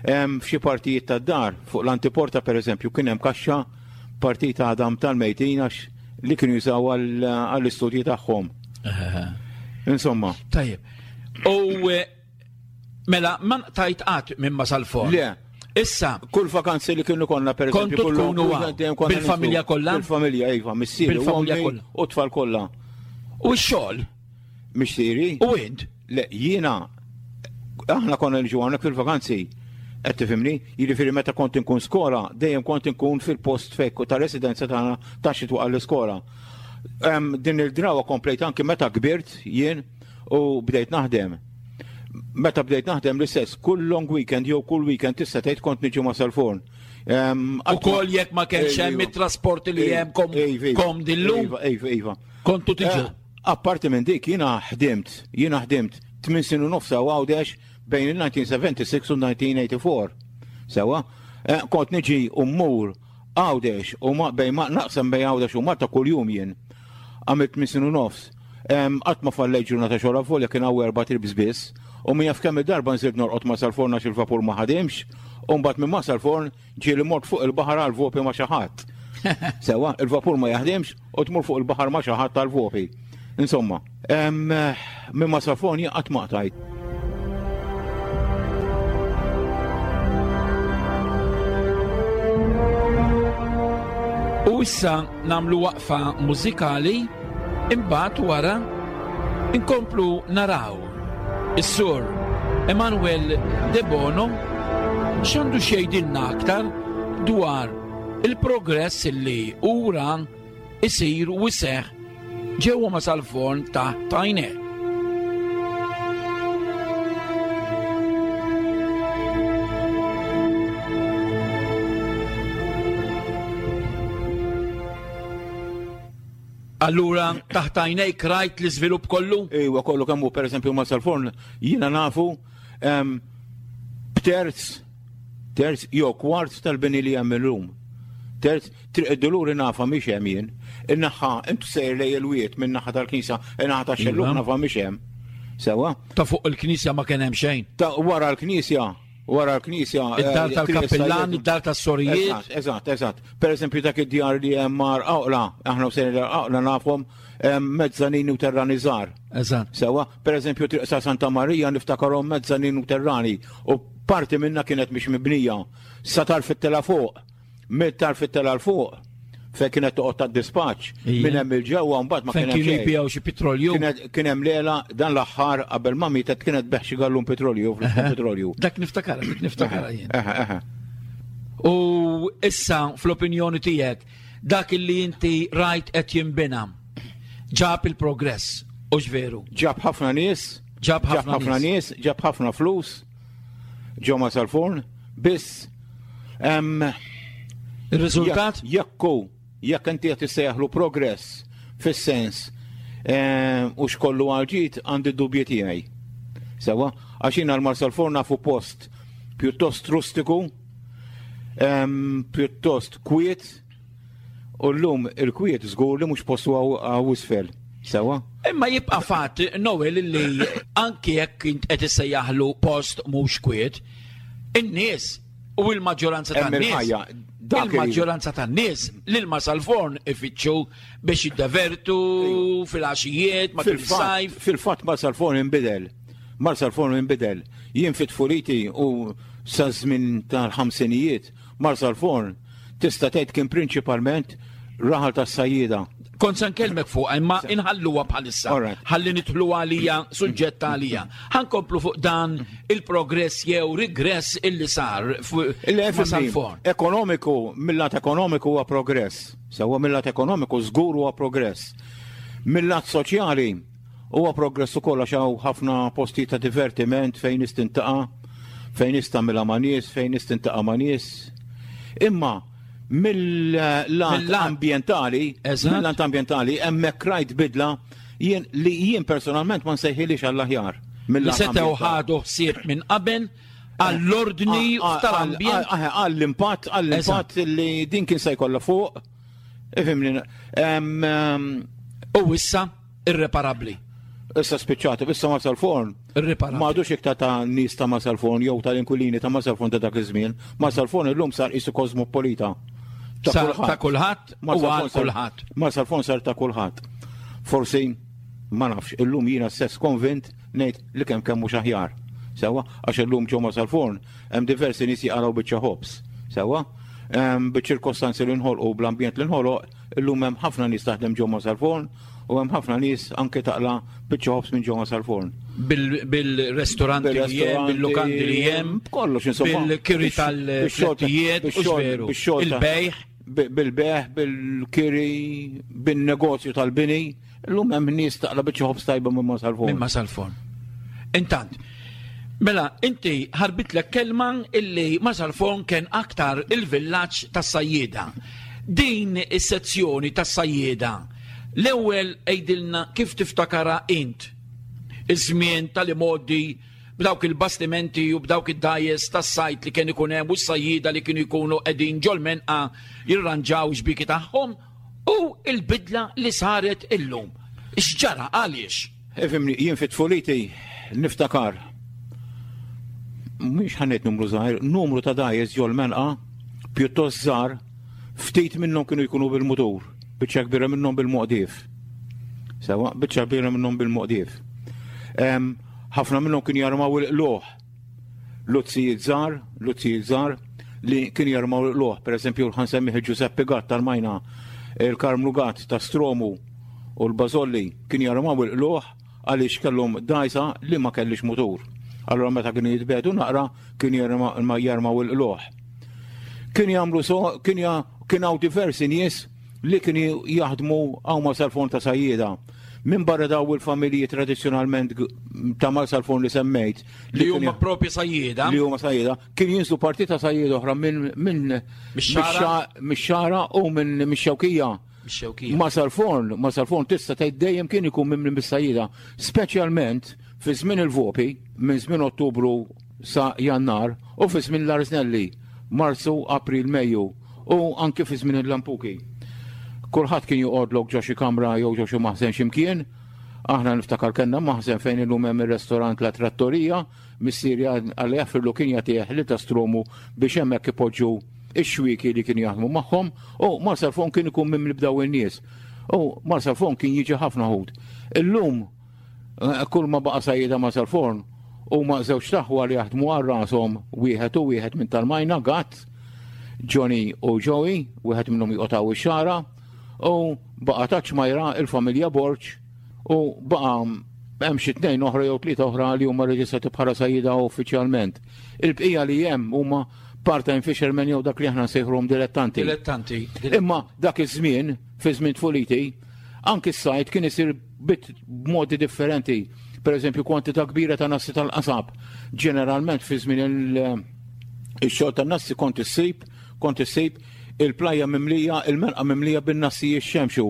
F'xi partijiet tad-dar, fuq l-antiporta pereżempju, kien hemm kaxxa partita għadam tal-mejtin għax li kienu jużaw għall-istudji tagħhom. Insomma. Tajjeb. U eh, mela ma tajt qatt minn ma sal-forn. Le. Issa. Kull vakanzi li kienu konna per eżempju. Kontu tkunu bil-familja kollha? Bil-familja, iva, missieri. Bil-familja kollha. U tfal kollha. U x-xogħol? Missieri. U int? Le, jiena aħna konna niġu hawnhekk fil-vakanzi. Qed tifhimni? Jiġifieri meta kont inkun skola, dejjem kont inkun fil-post fejn ta' residenza tagħna ta' xi twaqal l-iskola. Din il-drawa komplejt anki meta kbirt jien u bdejt naħdem. Meta bdejt naħdem l-istess, kull long weekend jew kull weekend tista' tgħid kont niġi ma' sal-forn. Ukoll jekk ma kienx hemm it-trasporti li hemm kom dillum. Iva, iva, iva. Kontu tiġu. Eh, Apparti minn dik jiena ħdimt, jiena ħdimt tmin snin u nofs hawn Għawdex bejn il-1976 u 1984. Sewwa, eh, kont niġi u mmur Għawdex u ma bejn ma naqsam bejn Għawdex u Malta kuljum jien. Għamilt tmin snin u nofs. Qatt ma fallejt ġurnata xogħol avolja kien hawn erba' trips biss u min jaf kemm il-darba nżilt norqod ma' sal-forn għax il-vapur ma ħadimx u mbagħad minn ma' sal-forn Ġieli mort fuq il-baħar għal vopi ma' xi ħadd. Sewa, il-vapur ma jaħdimx u tmur fuq il-baħar ma' xi ħadd għal vopi. Insomma, minn ma safoni qatt ma qtajt. U issa namlu waqfa mużikali imbagħad wara inkomplu naraw Is-Sur Emanuel Debono x'għandu x'jgħidilna aktar dwar il-progress li hu ra isir u jseħħ ġewwa ma' sal-forn taħt għajnejh. Allura taħt għajnejk rajt l-iżvilupp kollu? Iwa kollu kemm hu pereżempju ma sal-forn jiena nafu b'terz terz jew kwart tal-bini li hemm illum. Terz triq id-duluri nafa mhix hemm jien. In-naħa intu sejr lej il-wied minn naħa tal-knisja, in-naħa tax-xelluk iva. nafa mhix hemm. Sewa? Ta' fuq il-knisja ma kien hemm xejn. Ta' wara l-knisja wara l-knisja. Eh, id-dar tal-kappillan, id-dar tas-sorijiet. Eżatt, eżatt. Per eżempju dak id-djar li hemm mar Awla, aħna u sejrin Awla nafhom mezzanin u terrani żgħar. Eżatt. Sewa, per eżempju triq sa Santa Marija niftakarhom mezzanin u terrani u parti minna kienet mhix mibnija. Sa tarf it-tela fuq. Mit-tarf it-tela 'l fuq, fejn kienet toqgħod tad-dispaċċ, minn hemm il-ġewwa mbagħad ma kien hemm. Fejn kienu jbigħu xi petrolju. Kien hemm lela dan l-aħħar qabel ma mietet kienet tbigħ xi gallun petrolju, petrolju. Dak niftakar, dak niftakar jien. U issa fl-opinjoni tiegħek dak li inti rajt qed jinbina ġab il-progress, u veru? Ġab ħafna nies, ġab ħafna nies, ġab ħafna flus, ġo ma sal-forn, biss Il-riżultat? Jekk hu, jekk inti qed issejjaħlu progress fis-sens u xkollu għal ġid għandi dubji tiegħi. Sewa, għax jiena l-Marsalforn nafu post pjuttost rustiku, pjuttost kwiet, U llum il-kwiet żgur li mhux postu hawn isfel. Sewa? Imma jibqa' fatt, Noel, li anki jekk int qed issejjaħlu post mhux kwiet, in-nies u l-maġġoranza tan-nies. Il-maġġoranza tan-nies l-ilma sal-forn ifittxu biex jiddevertu fil-għaxijiet, matul is-sajf. Fil-fatt ma sal-forn inbidel. Mar sal-forn inbidel. Jien fit-tfuliti u sa żmien tal-ħamsinijiet, mar sal-forn Tista' tgħid kien prinċipalment raħal tas-sajjieda. Kont se nkellmek fuqha imma inħalluha bħalissa. Ħalli nidħlu għalija suġġett għalija. Ħankomplu fuq dan il-progress jew rigress illi sar fuq sal-forn. Ekonomiku, mill-lat ekonomiku huwa progress. Sewwa mill-lat ekonomiku żgur huwa progress. Mill-lat soċjali Huwa progress ukoll għax hawn ħafna postijiet ta' divertiment fejn nies tintaqa'. fejn nista' tagħmilha ma' nies, fejn nista' tintaqa' ma' nies. Imma mill-lat ambjentali, mill-lat ambjentali hemmhekk rajt bidla jien li jien personalment ma nsejħilix għall-aħjar. Li setgħu ħadu ħsieb minn qabel għall-ordni ah, ah, tal-ambjent. Ah, għall-impatt, għall-impatt li din kien se jkollha fuq. Ifhimni. U issa irreparabbli. Issa spiċċati, issa ma sal-forn. Irreparabbli. Ma għadux iktar ta' nies ta' Marsalforn jew tal-inkwilini ta' Marsalforn ta' dak iż-żmien. Marsalforn illum sar qisu kosmopolita. Ta' kulħadd u għal kulħadd. Marsalforn sar ta' kulħadd. Forsi ma nafx, illum jiena stess konvint ngħid li kemm kemm mhux aħjar. Sewwa, għax illum ġo Marsalforn hemm diversi nies jaqalgħu biċċa ħobż. Sewwa, biċ-ċirkostanzi li nħolqu bl-ambjent li nħoloq, illum hemm ħafna nies taħdem ġo Marsalforn u hemm ħafna nies anke taqla' biċċa ħobż minn ġo Marsalforn. Bil-restoranti li hemm, bil-lukandi li hemm, kollox insomma. Bil-kiri tal-flettijiet, il-bejħ. Bil-bejħ, bil-kiri, bin-negozju tal-bini. Illum hemm nies taqla' biċċa ħobż tajba minn Marsalforn. Minn Marsalforn. Intant, mela inti ħarbitlek kelma illi Marsalforn kien aktar il-villaġġ tas-sajjieda. Din is-sezzjoni tas-sajjieda, l-ewwel għidilna kif tiftakarha int iż-żmien tal-imgħoddi b'dawk il-bastimenti u b'dawk id-dgħajjes tas-sajd li kien ikun hemm u s-sajjieda li kienu jkunu qegħdin ġol-menqa jirranġaw xbieki tagħhom U l-bidla li saret illum. X'ġara għaliex? Ifhimni, jien fi tfuliti niftakar mhux ħanet numru żgħir, numru ta' dgħajjes ġol-menqa pjuttost żgħar, ftit minnhom kienu jkunu bil-mutur, biċċa kbira minnhom bil-moqdief. Sewa, biċċa kbira minnhom bil-moqdief. Ħafna minnhom kienu jarmaw il-qluħ luzzijiet żgħar, luzzijiet żgħar li kienu jarmaw l-qluħ, per eżempju ħa nsemmih il-Ġużeppi Gatt tal-Majna, il-Karmnu Gatt ta' Stromu u l-Bażolli kienu jarmaw il-qluħ għaliex kellhom dgħajsa li ma kellix mutur. Allura meta kienu jitbedu naqra kienu jarmaw il-qluħ. Kienu jagħmlu so, kien hawn diversi nies li kienu jaħdmu hawn Marsalforn ta' sajjieda. Minn barra daw il-familji tradizzjonalment ta' Marsalforn li semmejt. Li huma propri sajjieda. Li huma sajjieda. Kien jinżlu parti ta' sajjieda oħra minn minn mix-xara u minn mix-xewkija. Marsalforn, Marsalforn tista' tgħid dejjem kien ikun minn mis-sajjieda, speċjalment fi żmien il-vopi minn żmien Ottubru sa Jannar u fi żmien l-Arżnelli, Marzu, April, Mejju u anke fi żmien il-lampuki. Kulħadd kien joqgħodlok ġo xi kamra jew ġo xi maħżen x'imkien. Aħna niftakar kellna maħżen fejn illum hemm ir-restorant La Trattoria, missieri Alla jaħfirlu kien jagħtih lil ta' Stromu biex hemmhekk ipoġġu x-xwieki li kienu jaħdmu magħhom u Marsalforn kien ikun mimli b'daw in-nies. U Marsalforn kien jiġi ħafna ħut. Illum Eh, kull ma baqa' sajjieda ma' sal-forn huma żewġ taħwa li jaħdmu għal rashom wieħed u wieħed minn tal-majna Gatt, Johnny u Joey, wieħed minnhom joqgħod ix-xara, u baqa' ta' ċmajra il-familja Borġ u baqa' hemm xi tnejn oħra jew tlieta oħra li huma reġistrati bħala sajjida uffiċjalment. Il-bqija li hemm huma part-time fishermen jew dak li aħna nsejħruhom dilettanti. Dilettanti. Imma dak iż-żmien, fi żmien tfuliti, anki s-sajt kien isir b'modi differenti. Per eżempju, kwantità kbira ta' nassi tal-qasab. Ġeneralment fi żmien il-xogħol tan-nassi kont issib, kont issib il-plajja mimlija, il-menqa mimlija bin-nassi jixxemxu.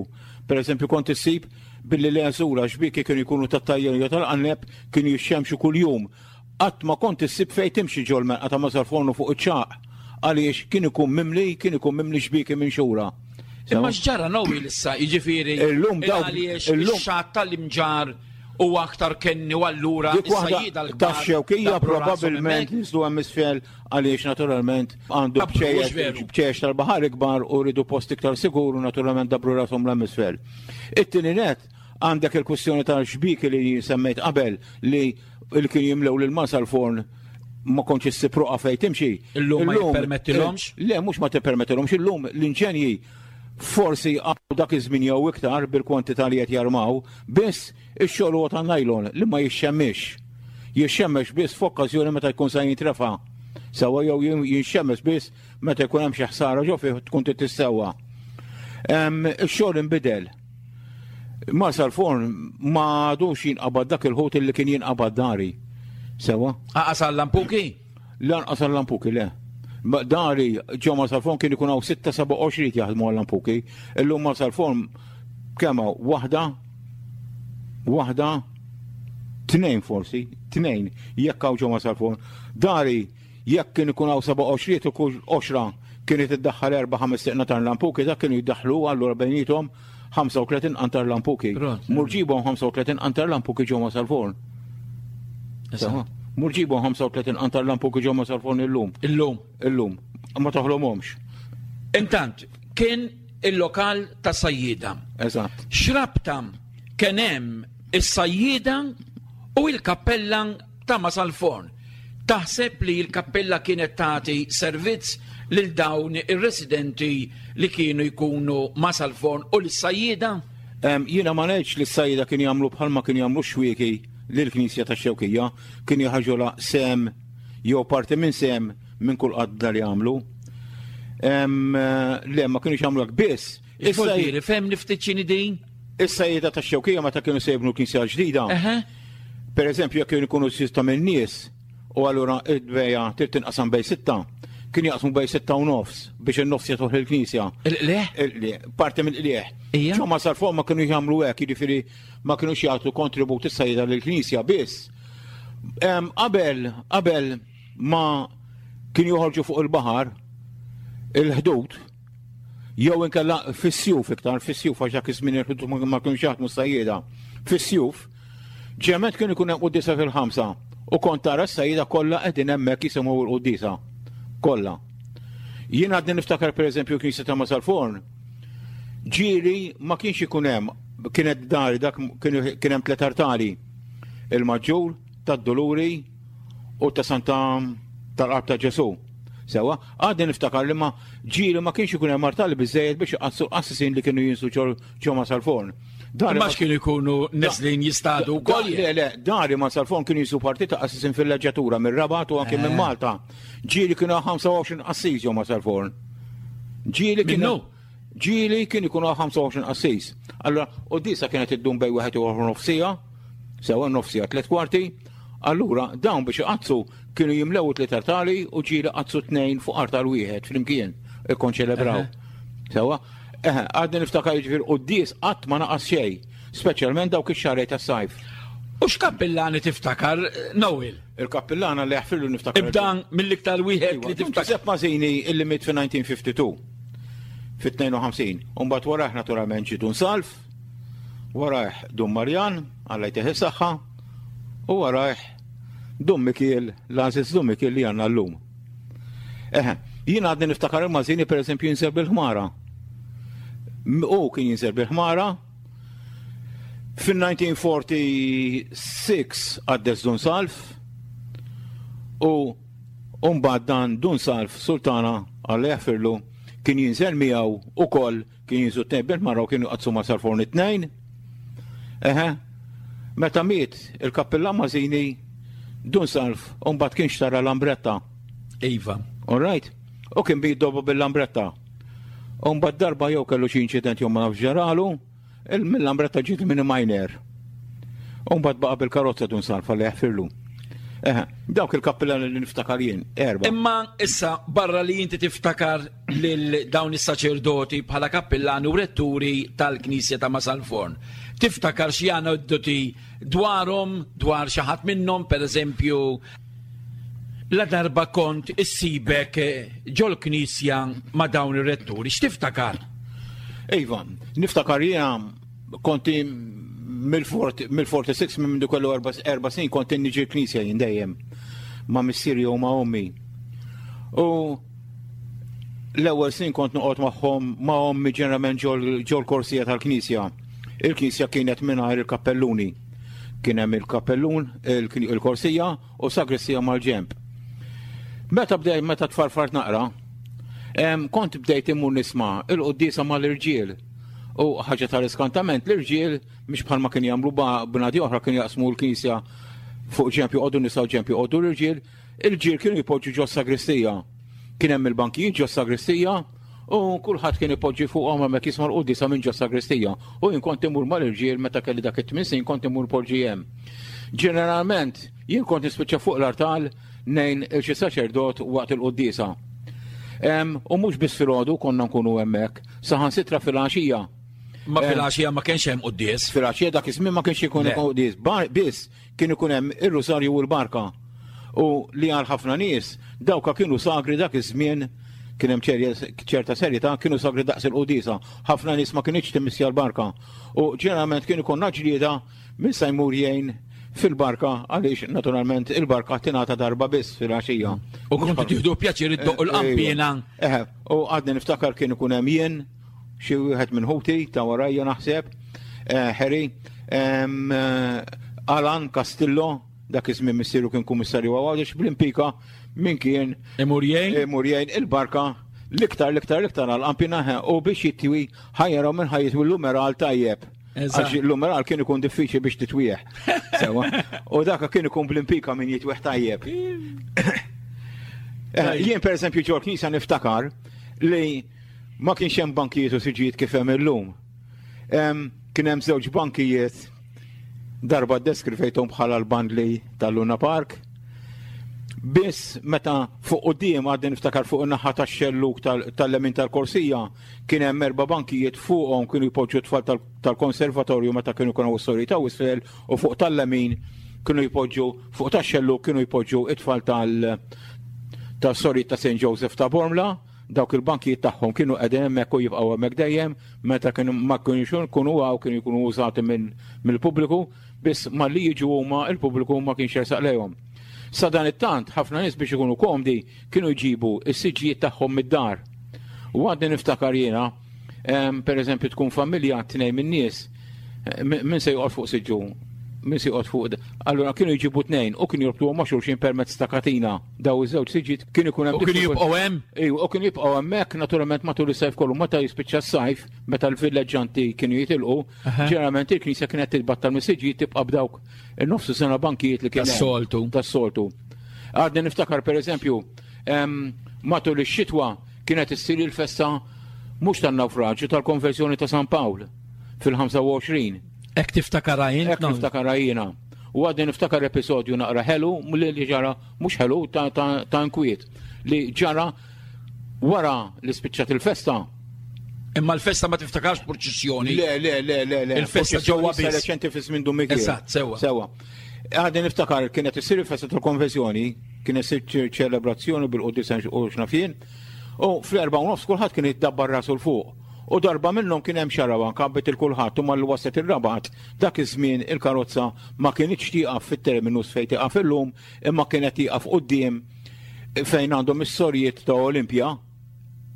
Per eżempju, kont issib billi l-għeżura xbieki kienu jkunu tat-tajjen jew tal-qanneb kienu jixxemxu kuljum. Qatt ma kont issib fejn timxi ġol-menqa ta' Mażarfornu fuq iċ-ċagħaq għaliex kien ikun mimli, kien ikun mimli xbieki minxura. Imma x'ġara Noel issa, jiġifieri Illum dawk għaliex ix-xatt tal-imġar huwa aktar kenni u allura Dik waħda tax-xewkija probabbilment niżlu hemm isfel għaliex naturalment għandu bċejjex tal-baħar ikbar u rridu post iktar sigur u naturalment dabru rashom l isfel. It-tieni net għandek il-kwistjoni tal-xbieki li semmejt qabel li li kienu jimlew lil Marsalforn ma kontx issib roqa fejn timxi. Illum ma jippermettilhomx? Le, mhux ma tippermettilhomx, illum l-inġenji forsi għaw dak iż-żmien jew iktar bil-kwantità li qed jarmaw, biss ix-xogħol huwa ta' nylon li ma jixxemmix. Jixxemmex biss f'okkażjoni meta jkun se jintrefa'. Sewwa jew jinxemmex biss meta jkun hemm xi ħsara ġo fih tkun trid tissewwa. Ix-xogħol inbidel. Marsalforn ma għadux jinqabad dak il-ħut li kien jinqabad dari. Sewa? Aqas għall-lampuki? Lanqas għal-lampuki le. Dari ġo Marsalforn kien ikun hawn 6 7 qoxriet jaħdmu għal-lampuki. Illum Marsalforn kemm hawn waħda waħda tnejn forsi, tnejn jekk hawn ġo Marsalforn. Dari jekk kien ikun hawn seba' qoxriet u kull qoxra kienet iddaħħal erba' ħames tiqna tal-lampuki, dak kienu jiddaħħlu allura bejniethom 35 qantar lampuki. Mur ġibhom 35 qantar lampuki ġo Marsalforn. Mur ġibhom 35 qantar lampuki ġo Marsalforn illum. Illum. Illum. Ma toħlomhomx. Intant, kien il-lokal ta' sajjida. Eżatt. X'rabta kien hemm is-sajjida u l-kappella ta' Masalforn. Taħseb li l-kappella kienet tagħti servizz lil dawn ir-residenti li kienu jkunu Masalforn u lis-sajjieda? Jiena ma ngħidx li s-sajjieda kienu jagħmlu bħalma kienu jagħmlu x-xwieki lill-knisja tax-Xewkija, kienu jħarġulha sehem jew parti minn sehem minn kull qadda li għamlu. Le, ma kienux jagħmlu hekk biss. Issa fehmni ftit x'inhi din? Is-sajjieda tax-Xewkija meta kienu se jibnu l-knisja l-ġdida, per eżempju jekk kienu jkunu sitta minn nies u allura id-dbeja trid tinqasam bej sitta, kien jaqsmu bej sitta u nofs biex in-nofs jagħtuh lill-knisja. Il-qligħ? Il-qligħ, parti mill-qligħ. Ġo ma sar fuq ma kienu jagħmlu hekk, jiġifieri ma kinux jagħtu kontribut is-sajjieda lill-knisja biss. Qabel, qabel ma kienu joħorġu fuq il-baħar il-ħdud, jew inkella fis-sjuf iktar, fis-sjuf għax dak iż-żmien il-ħdud ma kienux jaħdmu s-sajjieda. Fis-sjuf, ġemet kien ikun hemm quddiesa fil-ħamsa u kont tara s-sajjieda kollha qegħdin hemmhekk jisimgħu l-quddiesa. Kollha. Jien għadni niftakar pereżempju knisja ta' Masalforn, ġieli ma kienx ikun hemm, kienet dari dak kien hemm tliet artali, il-Maġġur, tad-Duluri u ta' Santa tal-Qalb ta' Ġesu. Sewa, għadni niftakar li ma ġieli ma kienx ikun hemm artali biżejjed biex iqaddsu l-qassisin li kienu jinsu ġo ma sal-forn. Dari ma kienu jkunu neżlin jistadu wkoll. Le, le, dari ma sal-forn kienu jinsu parti ta' qassisin fil-leġġatura mir-Rabat u anke minn eh. Malta. Ġieli kienu 25 qassis ġo ma sal-forn. Ġieli kienu. Ġieli kien ikunu 25 qassis. Allura, u disa kienet iddum bej wieħed u nofsija, sewa nofsija tliet kwarti, allura dawn biex iqaddsu kienu jimlew tliet artali u ġieli qadsu tnejn fuq artal wieħed flimkien ikkonċelebraw. Sewa, eħe, għadni niftakar jiġifieri quddies qatt ma naqas xejn, speċjalment dawk ix-xahrejn tas-sajf. U x'kappillani tiftakar, Noel? Il-kappillana li jaħfirlu niftakar. Ibda mill-iktar wieħed li tiftakar. Giuseppe Mazzini illi miet fi-1952. Fit-52. U mbagħad warajh naturalment ġie Dun Salv, warajh Dun Marjan, Alla jtih is-saħħa, u warajh Dun Mikiel, l-għażiż Dun Mikiel li għandna llum. Eħe, jien għadni niftakar il-Mazzini pereżempju jinżel bil-ħmara. U kien jinżel bil-ħmara, Fin-1946 qaddes Dun Salv u mbagħad dan Dun Salv Sultana Alla jaħfirlu kien jinżel miegħu ukoll kien jinżlu tnejn bil-mara u kienu jqaddsu ma' Salforn it-tnejn. Eħe, meta miet il-kappillan Mażini Dun Salv u mbagħad kien xtara lambretta. Iva. All right? U kien biddobu bil-lambretta. U mbagħad darba jew kellu xi inċident jew ma nafx ġaralu, Mill-lambretta ġiet minn minor. U mbagħad baqa' bil-karozza dun salfa li jaħfirlu. Eh, dawk il-kappillani li niftakar jien, erba. Imma issa barra li inti tiftakar lil dawn is-saċerdoti bħala kappillani u retturi tal-Knisja ta' Masalforn. Tiftakar xi aneddoti dwarhom, dwar xi ħadd minnhom, pereżempju, la darba kont issibek ġol-knisja ma' dawn ir-retturi, x'tiftakar? Iva, niftakar jiena konti mill-46 minn mindu kellu erba' snin kont niġi l-knisja jien dejjem ma' missieri u ma' ommi. U l-ewwel snin kont noqgħod magħhom ma' ommi ġeneralment ġol-korsija tal-knisja. Il-knisja kienet mingħajr il-kappelluni. Kien hemm il-kappellun, il-korsija u sagristija mal-ġenb. Meta bdejt meta tfarfart naqra, kont bdejt immur nisma' il-quddiesa mal-irġiel. U ħaġa tal-iskantament l-irġiel mhix bħalma kien jagħmlu bnadi oħra kienu jaqsmu l-knisja fuq ġenb joqogħdu nisa u ġenb joqogħdu l-irġiel, il-ġiel kienu jpoġġu ġo sagristija. Kien hemm il-bankijiet ġo sagristija u kulħadd kien ipoġġi fuqhom hemmhekk jisma' l-quddiesa minn ġo sagristija. U jien kont imur mal-irġiel meta kelli dak it-tmien snin kont imur poġġi hemm. Ġeneralment jien kont nispiċċa fuq l-artal ngħin il xi saċerdot waqt il-quddiesa. U mhux biss filgħodu konna nkunu hemmhekk, saħansitra filgħaxija. Ma filgħaxija ma kienx hemm quddies. Filgħaxija dak iż-żmien ma kienx ikun quddies, biss kien ikun hemm ir-rusarju u l-barka. U li għal ħafna nies dawka kienu sagri dak iż-żmien kien hemm ċerta serjetà kienu sagri daqs il-quddiesa. Ħafna nies ma kinitx timmissja l-barka. U ġeneralment kien ikollna ġlieda Min sa jmur jgħin fil-barka għaliex naturalment il-barka tingħata darba biss fil-għaxija. U kontu tieħdu pjaċir iddoqqu l-qanpiena. Eh, u għadni niftakar kien ikun hemm jien xi wieħed minn ħuti ta' warajja naħseb, eh, Harry, eh, Alan Castillo, dak iż-żmien missieru kien kummissarju għawdex bl-impika min kien imur jgħin imur jgħin il-barka l-iktar l-iktar l-iktar għal-qampina u biex jitwi ħajjaraw minn ħajjitwi l-umeral tajjeb. Għax l-umeral kien ikun diffiċli biex titwieħ. Sewa. U daka kien ikun bl-impika min jitwieħ tajjeb. Eh, jien per eżempju ġol knisja niftakar li ma kienx hemm bankijiet u siġijiet kif hemm illum. Kien hemm żewġ bankijiet darba ddeskrivejthom bħala l-bandli tal-Luna Park. Biss meta fuq quddiem għadni niftakar fuq in-naħa tax-xelluk tal-lemin tal-korsija Kien hemm erba' bankijiet fuqhom kienu jpoġġu t-tfal tal-konservatorju meta kienu jkunu s-sorijiet ta' isfel u fuq tal-lemin kienu jpoġġu fuq tax-xellug kienu jpoġġu it-tfal tal tas-sorijiet ta' St. Joseph ta' Bormla, dawk il-bankijiet tagħhom kienu qegħdin hemmhekk u jibqgħu hemmhekk dejjem, meta kienu ma kienux ikunu hawn kienu jkunu użati mill-pubbliku, biss malli jiġu huma il-pubbliku ma kienx jersaq lejhom. Sadanittant ħafna nies biex ikunu komdi kienu jġibu s-siġġijiet tagħhom mid-dar. U għadni niftakar jiena, per eżempju tkun familja tnejn min-nies, eh, min se joqgħod fuq siġġu, min se joqgħod fuq. Allura kienu jġibu tnejn u kienu jorbtuhom ma' xulxin permezz ta' katina. Daw iż-żewġ siġġiet kienu jkun hemm. U kienu jibqgħu hemm? Ejju, u kienu jibqgħu hemmhekk naturalment matul is-sajf kollu meta jispiċċa s-sajf, meta l-villeġġanti kienu jitilqu, ġeneralment il-knisja kienet titbattal mis-siġġijiet tibqa' b'dawk in-nofs sena bankijiet li kien. Tas-soltu. Tas-soltu. Għadni niftakar per eżempju, matul ix-xitwa kienet issir il-festa mhux tan-nawfraġġju tal-konversjoni ta' San Pawl fil-25. Hekk tiftakarha jien? Hekk niftakarha jiena. U għadni niftakar episodju naqra ħelu li ġara mhux ħelu ta' inkwiet li ġara wara li spiċċat il-festa. Imma l-festa ma tiftakarx purċissjoni. Le, le, le, le, le. Il-festa ġewwa biss. Reċenti fi żmien Dun Mikiel. Eżatt, sewwa. Sewwa. Għadni niftakar kienet issir il-festa tal-konvenzjoni, kien issir ċelebrazzjoni bil-quddiesa u x'naf jien. U fl-4:30 kulħadd kien jiddabbar rasu 'l fuq. U darba minnhom kien hemm xarabank għabbet il kulħadd u malli waslet ir-Rabat, dak iż-żmien il-karozza ma kinitx tieqaf fit-terminus fejn tieqaf illum, imma kienet tieqaf quddiem fejn għandhom is-sorijiet ta' Olimpja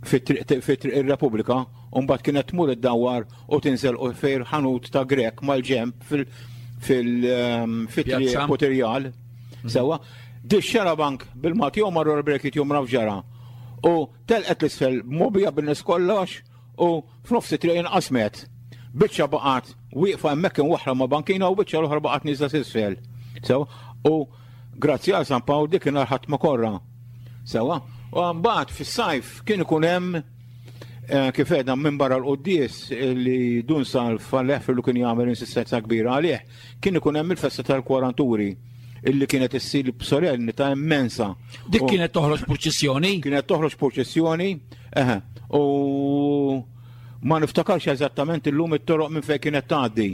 fi Triq ir-Repubblika, u mbagħad kienet tmur iddawwar u tinżel fejn ħanut ta' Grek mal-ġenb fil-triq Putirjal. Sewwa, di xarabank bil-Malti jew marru l-brekiet jew mraf ġara. U telqet l-isfel mobija bin-nies kollox u f'nofs it-triq inqasmet. Biċċa baqgħet wieqfa hemmhekk imwaħħla ma' bankina u biċċa l-oħra baqgħet nieżla s'isfel. Sewwa, u grazzi għal San Pawl dik inhar ħadd ma korra. Sewwa, u mbagħad fis-sajf kien ikun hemm eh, kif għedna minn barra l-quddies li Dun Salv għal li kien jagħmel insistenza kbira għalih, kien ikun hemm il-festa tal-kwaranturi illi kienet issir b'solennità immensa. Dik kienet toħroġ purċissjoni? Kienet toħroġ purċissjoni, eħe, u ma niftakarx eżattament illum it-toroq minn fejn kienet tgħaddi.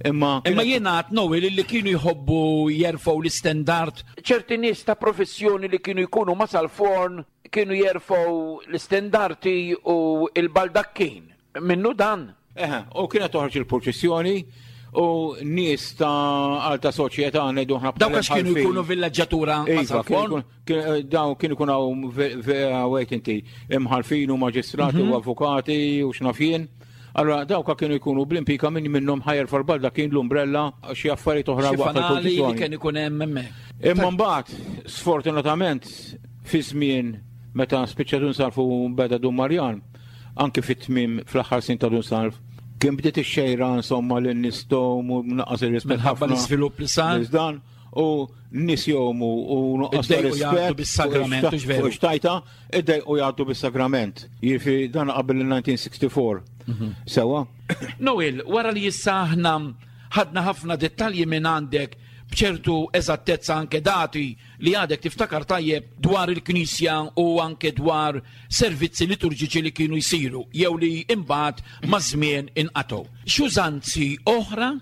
Imma Imma jiena għad Noel illi kienu jħobbu jerfgħu l-istendard. Ċerti nies ta' professjoni li kienu jkunu ma' sal-forn kienu jerfgħu l-istendarti u l-baldakkin. Minnu dan? Eħe, u kienet toħroġ il-purċissjoni u nies ta' alta soċjetà ngħidu aħna Dawk għax kienu jkunu villaġġatura ma' Iva, sal-forn? Dawn kienu jkunu hawn wejt inti imħalfin u maġistrati u avukati u x'naf jien. Allora dawka kienu jkunu bl-impika min minnhom ħajer fal-balda kien l-umbrella xi affarijiet oħra Xi waqt fanali li il-purċissjoni. kien ikun hemm hemmhekk. Imma mbagħad, sfortunatament, fi żmien meta spiċċa Dun Salv u beda Dun Marjan, anki fit-tmiem fl-aħħar snin ta' Dun Salv, kien bdiet ix-xejra insomma li n-nies tgħum u naqqas ir-rispett Minħabba ħafna. l-iżvilupp li sar. Nies dan u n-nies jgħumu u nuqqas ta' Iddejqu jgħaddu rispett bis-sagrament, hux veru? fuq ix-xtajta, iddejqu jgħaddu bis-sagrament. Jiġifieri dan qabel il-1964. Sewwa? Noel, wara li issa aħna ħadna ħafna dettalji minn għandek. b'ċertu eżattezza anke dati li għadek tiftakar tajjeb dwar il-Knisja u anke dwar servizzi liturġiċi li kienu jsiru jew li imbagħad maż-żmien inqatgħu. X'użanzi oħra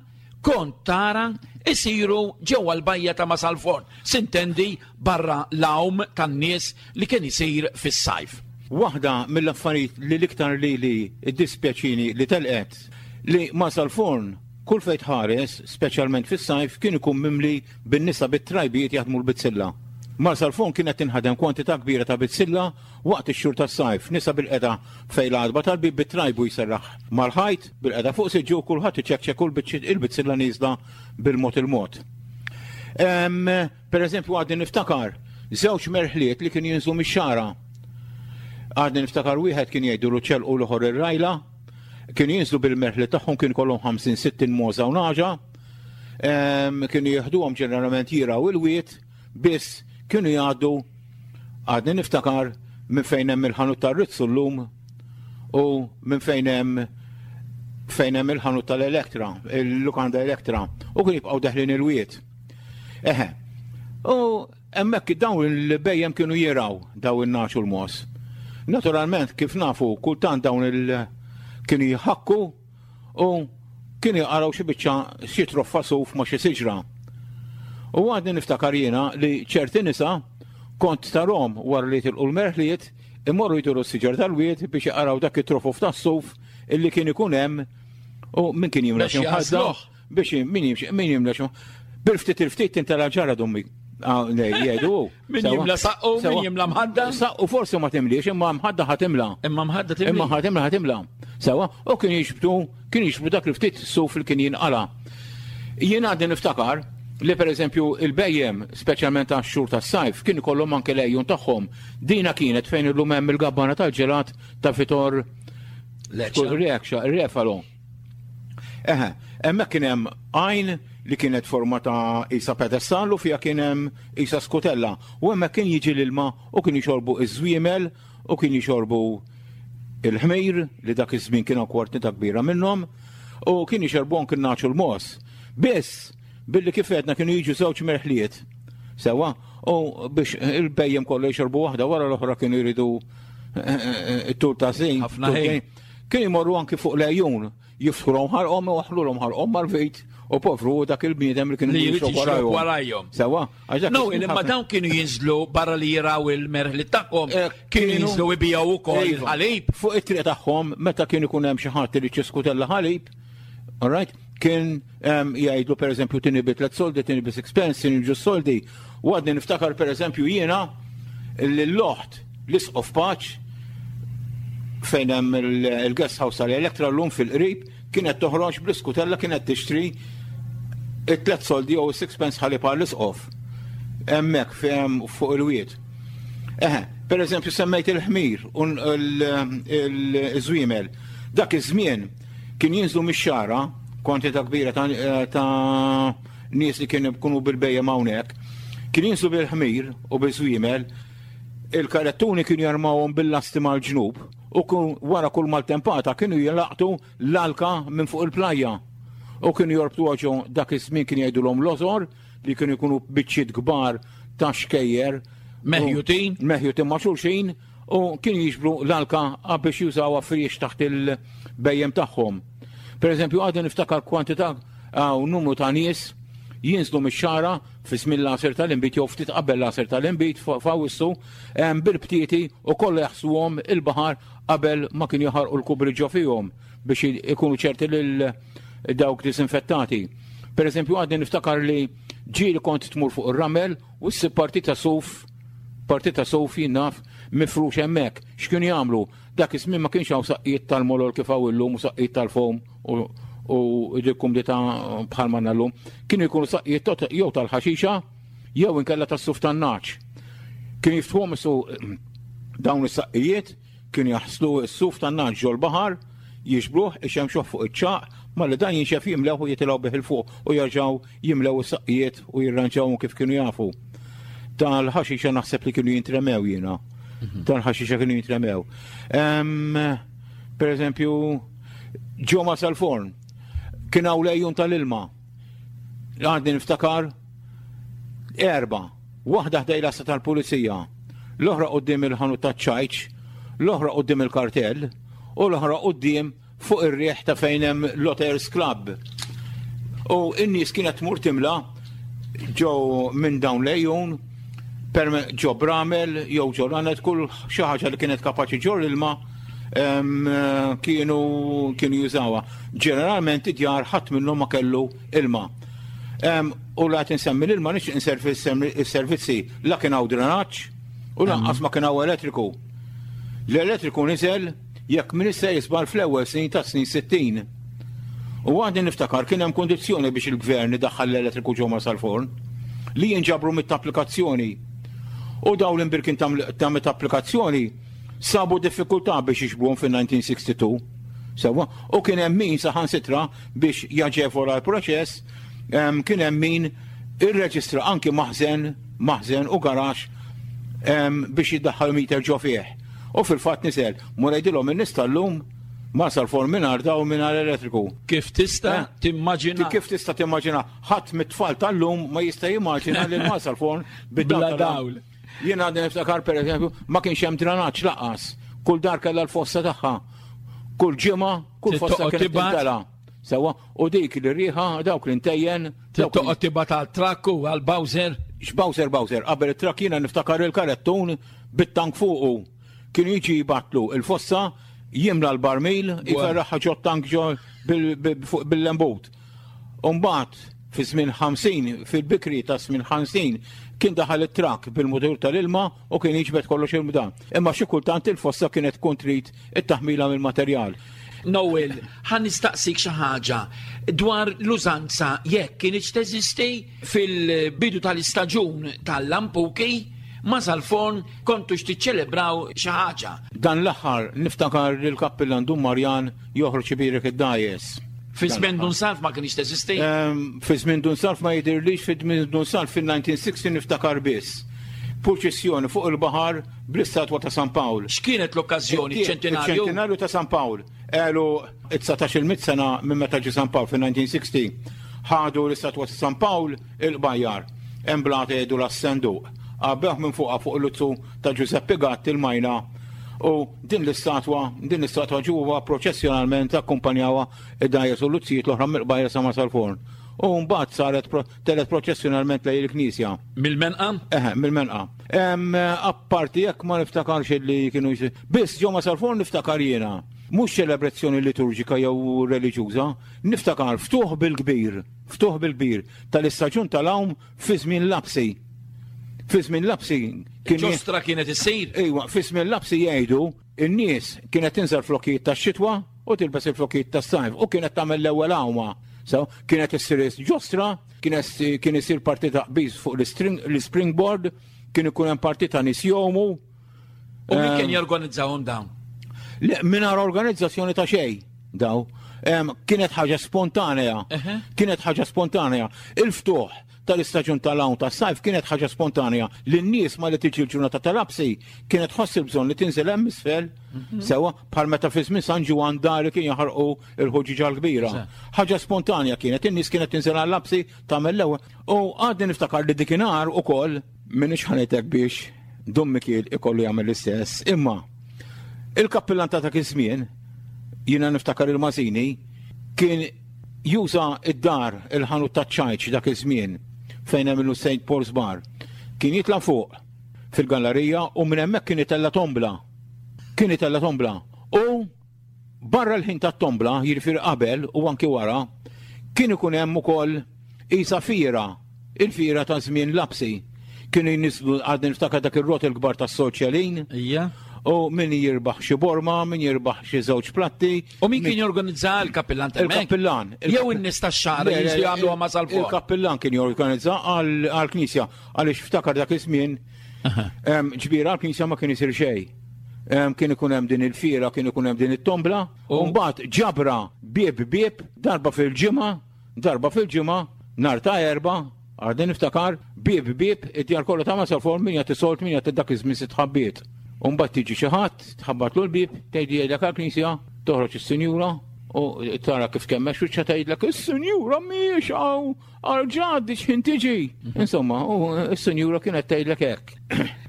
kont tara isiru ġewwa l-bajja ta' Masalforn, sintendi barra l-għawm tan-nies li kien isir fis-sajf. Waħda mill-affarijiet li l-iktar lili ddispjaċini li telqet, li Marsalforn kull fejn tħares, speċjalment fis-sajf, kien ikun mimli bin-nisa bit-trajbijiet jaħdmu l-bizzilla. Marsalforn kienet tinħadem kwantità kbira ta' bizzilla waqt ix-xhur tas-sajf, nisa bilqiegħda fejn l-għatba tal-bieb bit-trajbu jserraħ mal-ħajt, bilqiegħda fuq siġġu u kulħadd iċekċek u l-bizzilla nieżla bil-mod il-mod. Per eżempju għadni niftakar żewġ merħliet li kienu jinżlu mix-xagħra. Għadni niftakar wieħed kien jgħidu l-uċċell u l-oħor ir-rajla. Kienu jinżlu bil-merħliet tagħhom kien kollhom 50-60 mogħża u naġa. Kienu jieħduhom ġeneralment jiraw il-wied biss kienu jgħaddu għadni niftakar minn fejn hemm il-ħanut tar-Rizzu llum u minn fejn hemm fejn hemm il-ħanut tal-Elektra, il-lukanda Elektra, u kien jibqgħu deħlin il-wied. Eħe. U hemmhekk dawn il-bejjem kienu jiraw daw in-naċ u l-mos. Naturalment kif nafu kultant dawn il kienu jħakku u kienu jaqaraw xi biċċa xi troffa suf ma' xi siġra. U għadni niftakar jiena li ċerti nisa kont tarhom wara li jitilqu l-merħliet imorru jduru s-siġar tal-wied biex jaqaraw dak it-trofof tas-suf illi kien ikun hemm u min kien jimla xi mħadda biex min jimxi min jimla xi bil-ftit il-ftit tintela ġara dummi. Ah, jgħidu. Min jimla saqqu, min jimla mħadda. Saqqu forsi ma timliex, imma mħadda ħatimla. Imma mħadda timla. Imma ħatimla ħatimla. Sewa, u kien jixbtu, kien jixbtu dak il-ftit suf li kien jinqala. Jien għadni niftakar li per eżempju il-bejjem, speċjalment għax xhur tas-sajf, kien ikollhom anke lejjun tagħhom. Dina kienet fejn illum hemm il-gabbana tal-ġelat ta' Vitor Reksha, ir-refalo. Eħe, hemmhekk kien hemm għajn li kienet forma ta' isa pedestal u fiha kien hemm isa skutella. U hemmhekk kien jiġi l-ilma u kien jixorbu iż-żwiemel u kien jixorbu il-ħmir li dak iż-żmien kien hawn kwartita kbira minnhom u kien jixorbu anke n-naċu l-mos. Biss, billi kif għedna kienu jiġu żewġ merħliet sewa u biex il-bejjem kollu jixorbu waħda wara l-oħra kienu jridu eh, eh, eh, it-tur ta' żejn. Ħafna ħin. Kienu jmorru anki fuq l-għejun, jiftħulhom ħalqhom u waħħlulhom ħalqhom mal-vit u povru dak il-bniedem li kienu jixrob warajhom. Sewa, No, imma dawn kienu jinżlu barra li jiraw il-merħli tagħhom, eh, kienu jinżlu ibijaw ukoll iva. il-ħalib. Fuq it-triq tagħhom meta kien ikun hemm xi ħadd li ċiskutella ħalib, all right, kien jgħidlu per eżempju tini bi tlet soldi, tini bi sixpence, tini ġu soldi. U għadni niftakar per eżempju jiena l-loħt l-isqof paċ fejn hemm il-guest house tal-Elektra llum fil-qrib kienet toħroġ bl-iskutella kienet tixtri it-tlet soldi jew sixpence ħalib għall-isqof. Hemmhekk fejn fuq il-wied. Eħe, per eżempju semmejt il-ħmir u l-żwiemel. Dak iż-żmien Kien jinżlu mix-xagħra kwantità kbira ta', eh, ta nies li kienu jkunu bil-bejjem hawnhekk. Kien jinżlu bil-ħmir u bil-żwiemel, il-karettuni kienu jarmawhom bil-lasti mal-ġnub u wara kull maltempata kienu jilaqtu l-alka minn fuq il-plajja. U kienu jorbtu ġo dak iż-żmien kien jgħidulhom l-ozor li kienu jkunu biċċiet kbar ta' xkejjer. Meħjutin. Meħjutin ma' xulxin u kienu jiġbru l-alka biex jużawha friex taħt il-bejjem tagħhom. Per eżempju, għadni niftakar kwantità u numru ta' nies jinżlu mix-xara fi żmien l-għasir tal-inbid jew ftit qabel l-għasir tal-inbid f'Awwissu bil-btieti u kollha jaħsluhom il-baħar qabel ma kienu jaħarqu l-kubri ġo fihom biex ikunu ċerti lil dawk disinfettati. Per eżempju, għadni niftakar li ġieli kont tmur fuq ir-ramel U ssib partita suf, partita suf jien naf, mifrux hemmhekk. X'kienu jagħmlu? Dak iż-żmien ma kienx hawn saqqijiet tal-molol kif hawn illum u saqqijiet tal-fowm u u dik kumdità bħal ma llum. Kienu jkunu saqqijiet jew tal-ħaxixa jew inkella tas-suf tan-nagħaġ. Kienu jiftħuhom isu dawn is-saqqijiet Kienu jaħslu s-suf tan-nagħaġ ġol-baħar, jiġbruh, ixemmxuh fuq iċ-ċagħaq, malli dan jinxef jimlewh u jitilgħu bih 'il fuq u jerġgħu jimlew is-saqqijiet u jirranġawhom kif kienu jafu. Tal-ħaxixa naħseb li kienu jintremew jiena. Mhm. Tal-ħaxixa kienu jintremew. Per eżempju, ġo ma sal-forn, kien hawn lejjun tal-ilma. Għadni niftakar. Erbgħa, waħda ħdejn l-għassa tal-pulizija, l-oħra quddiem il-ħanut taċ-ċajċ, l-oħra quddiem il-kartell u l-oħra quddiem fuq ir-riħ ta' fejn hemm l-Otters Club. U n-nies kienet tmur timla ġo minn dawn l-għejun ġo bramel jew ġo lanet kull xi ħaġa li kienet kapaċi ġor ilma kienu kienu jużawha. Ġeneralment id-djar ħadd minnhom ma kellu ilma. U la qed insemmi l-ilma nixtieq inservi s-servizzi la kien hawn drenaġġ u lanqas ma kien hawn elettriku. L-elettriku niżel jekk min issa jisbal fl-ewwel snin tas-snin 60. U għadni niftakar kien hemm kundizzjoni biex il-gvern idaħħal l-elettriku ġo Marsalforn li jinġabru mitt applikazzjoni. U dawn l-imbirkin ta' mitt applikazzjoni sabu diffikultà biex jiġbruhom fin-1962. Sewwa, u kien hemm min saħansitra biex jaġevola l-proċess, kien hemm min irreġistra anki maħżen, maħżen u garaxx biex jiddaħħal meter ġo fih. U fil-fatt nisel, mur għidilhom in-nies tal-lum ma sar forn mingħajr dawl mingħajr elettriku. Kif tista' eh? timmaġina? Kif tista' timmaġina? Ħadd mit-tfal tal-lum ma jista' jimmaġina li ma sar forn bid-dawl. dawl. Jien għadni niftakar pereżempju ma kienx hemm dranaġġ laqas. Kull dar kellha l-fossa tagħha. Kull ġimgħa, kull fossa kienet tintela. Sewa, u dik li riħa dawk li ntejjen. Toqgħod tibgħat għal trakk u għal Bowser. X'Bowser Bowser, qabel it-trakk jiena niftakar il-karettun bit-tank fuqu. Kienu jiġi jibatlu il-fossa, jimla l-barmil, jiferraħħa ġo tank ġo bil-lembut. Umbagħad fi żmien 50, fil-bikri ta' żmien 50, kien daħal it-trakk bil-mutur tal-ilma u kien jiġbed kollox il-mdan. Imma xi kultant il-fossa kienet tkun trid it-taħmila mill-materjal. Noel, ħa nistaqsik xi ħaġa dwar l-użanza jekk kinitx teżisti fil-bidu tal-istaġun tal-lampuki ma' Salforn kontux tiċċelebraw xi ħaġa. Dan l-aħħar niftakar li l-kappillan Dun Marjan joħroġ ibierek id-dgħajjes. Fi żmien Dun Salv ma kienx teżisti? Ehm, fi żmien Dun Salv ma jidhirlix fi żmien Dun Salv fil-1960 niftakar biss. Purċissjoni fuq il-baħar bl-istatwa ta' San Pawl. X'kienet l-okkażjoni? Ċentinarju? Ċentinarju ta' San Pawl. Għelu 19 mit sena minn meta ġie San Pawl fil-1960. Ħadu l-istatwa ta' San Pawl il-qbajjar. Hemm blata jgħidu l-assenduq. Għabbeħ minn fuqha fuq l-luzzu ta' Giuseppe Gatti l-majna u din l-istatwa, din l-istatwa ġuwa proċessjonalment akkumpanjawha id-dgħajjes u l-luzzijiet l-oħra mill-qbajjar sa ma sal-forn. U mbagħad saret telet proċessjonalment lejn il-knisja. Mill-menqa? Eħe, mill-menqa. Apparti jekk ma niftakarx li kienu Biss ġo ma sal-forn niftakar jiena. Mhux ċelebrazzjoni liturġika jew reliġjuża, niftakar ftuħ bil-kbir, ftuħ bil-kbir tal-istaġun tal-għawm fi żmien lapsi. Fi żmien lapsi kien Ġostra kienet issir. Ejwa, fi żmien lapsi jgħidu in-nies kienet tinżel flokkijiet tax-xitwa u tilbes il-flokkijiet tas-sajf u kienet tagħmel l-ewwel għawma. So, kienet issir ġostra, kienet kien isir partita qbiż fuq l-springboard, kien ikun hemm partita nies jgħumu. U min kien jorganizzahom dawn? Le, mingħajr organizzazzjoni ta' xejn daw. Kienet ħaġa spontanea. Kienet ħaġa spontanea. Il-ftuħ tal-istaġun tal-hawn tas-sajf kienet ħaġa spontanea li n-nies ma li tiġi l-ġurnata tal-absi kienet tħoss il-bżonn li tinżel hemm isfel mhm. sewa bħal meta fi żmien San Ġwann dari kien jaħarqu il-ħuġġiġa l-kbira. Ħaġa spontanea kienet, in-nies kienet tinżel għall-absi tagħmel l-ewwel. U għadni niftakar li dikinhar ukoll minix ħanitek biex Dun Mikiel ikollu jagħmel l-istess, imma il-kappillan ta' dak iż-żmien, jiena niftakar il-Mażini, kien juża id-dar il-ħanut ta' ċajċ dak iż-żmien fejn hemm il St. Paul's Bar. Kien jitla' fuq fil-gallerija u minn hemmhekk kien itella' tombla. Kien itella' tombla. U Barra l-ħin tat-tombla, jiġifieri qabel u anki wara, kien ikun hemm ukoll qisha fiera, il-fiera ta' żmien lapsi. Kienu jniżlu għadni niftakar dak ir-roti l-kbar tas-soċjalin. Ija. U min jirbaħ xi borma, min jirbaħ xi żewġ platti. U min kien jorganizza l-kappillan ta' Il-kappillan. Jew in-nies tax-xagħar li jiġu jagħmluha ma' sal Il-kappillan kien jorganizza għall-knisja għaliex ftakar dak iż-żmien ġbira għall-knisja ma kien isir xejn. Kien ikun hemm din il-fiera, kien ikun hemm din it-tombla, u mbagħad ġabra bieb bieb darba fil-ġimgħa, darba fil-ġimgħa, nhar ta' erba, għadni niftakar, bieb bieb, id-djar kollha ta' Masalforn min jagħti solt, min jagħti dak iż-żmien sitt ħabbiet. U mbagħad tiġi xi ħadd, tħabbatlu l-bieb, tgħid jgħidlek għall-knisja, toħroġ is-sinjura. U tara kif kemmex wiċċha tgħidlek is-sinjura mhijiex hawn għal ġaddi x'ħin tiġi. Insomma, u s-sinjura kienet tgħidlek hekk.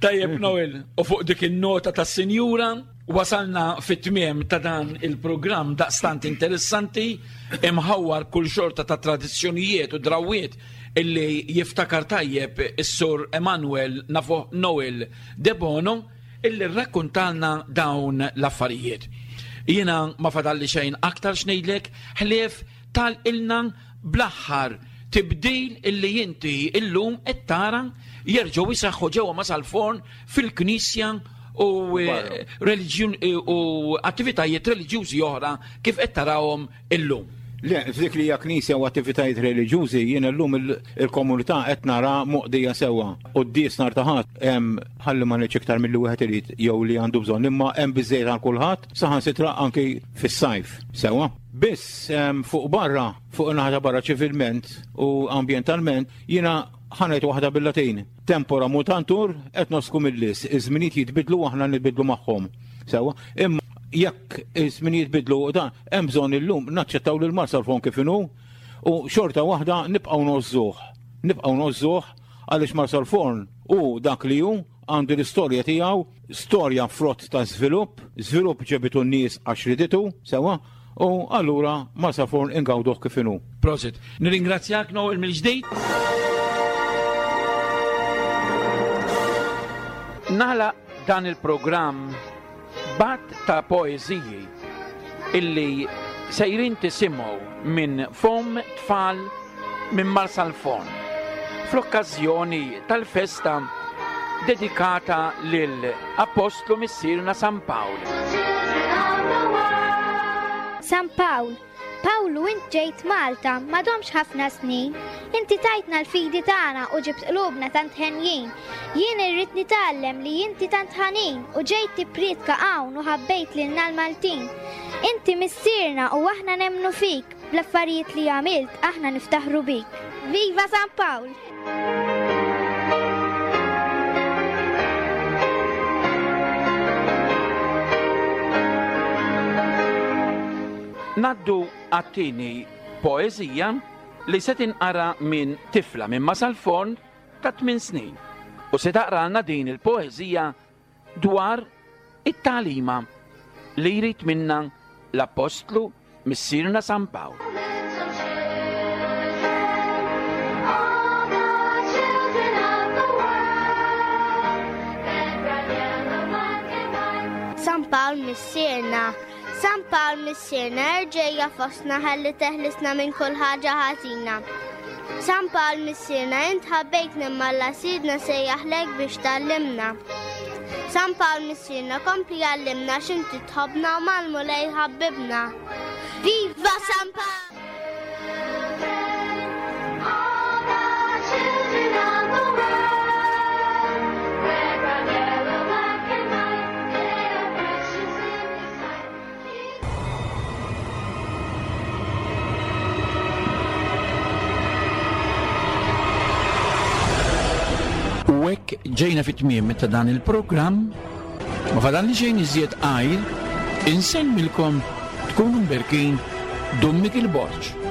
Tajjeb Noel, u fuq dik in-nota tas-sinjura wasalna fit-tmiem ta' dan il-programm daqstant interessanti imħawwar kull xorta ta' tradizzjonijiet u drawwiet illi jiftakar tajjeb is-sur Emanuel nafuh Noel Debono illi rrakkuntalna dawn l-affarijiet. Jiena ma fadalli xejn aktar x'ngħidlek ħlief tal-ilna bl-aħħar tibdil illi inti illum qed tara jerġgħu jseħħu ġewwa Masalforn fil-knisja u eh, reliġjun eh, u attivitajiet reliġjużi oħra kif qed tarahom illum. Le, f'dik li hija knisja u attivitajiet reliġjużi, jiena llum il-komunità qed nara moqdija sewwa. Quddies nhar ta' Ħadd hemm ħalli ma ngħidx iktar milli wieħed irid jew li għandu bżonn, imma hemm biżejjed għal kulħadd, saħansitra anki fis-sajf. Sewwa. Biss fuq barra, fuq in-naħa ta' barra ċivilment u ambjentalment, jiena ħa ngħid waħda bil-Latin. Tempora mutantur et nos cum illis, iż-żminijiet jitbiddlu u aħna nitbiddlu magħhom. Sewwa, imma jekk iż-żminijiet jitbiddlu dan, hemm bżonn illum naċċettaw lil Marsalforn kif inhu u xorta waħda nibqgħu ngħożżuh. Nibqgħu ngħożżuh għaliex Marsalforn hu dak li hu, għandu l-istorja tiegħu, storja frott ta' żvilupp, żvilupp ġebitu n-nies għax riditu, sewwa, U allura Marsaforn ingawduh kif inhu. Prosit. Nirringrazzjak Noel mill-ġdid. Nagħlaq dan il-programm b'għadd ta' poeżiji illi sejrin tisimgħu minn fomm tfal minn Marsalforn fl-okkażjoni tal-festa dedikata lil Appostlu Missierna San Pawl. San Pawl, Pawlu int ġejt Malta m'għadhomx ħafna snin, inti tajtna l-fidi tagħna u ġibt qlubna tant henjin. Jien irrid nitgħallem li inti tant ħanin u ġejt tipprietka hawn u ħabbejt lilna l-Maltin. Inti missierna u aħna nemmnu fik, bl-affarijiet li għamilt aħna niftaħru bik. Viva San Pawl! Naddu għat-tieni poeżija li se tinqara minn tifla minn Masalforn ta' 8 snin u se taqralna din il-poeżija dwar it-tagħlima li jrid minna l-Appostlu Missierna San Pawl. San Pawl Missierna, San Pawl Missierna erġejja fostna ħalli teħlisna minn kull ħaġa ħażina. San Pawl Missierna int ħabbejtna imma Alla Sidna sejjaħlek biex tgħallimna. San Pawl Missierna kompli għallimna x'inti tħobbna u mal-Mulej ħabbibna. Viva San Pawl! U hekk ġejna fit-tmiem ta' dan il-programm, ma fadalli xejn iżjed għajr insellmilkom tkunu mberkin Dun Mikiel Borg.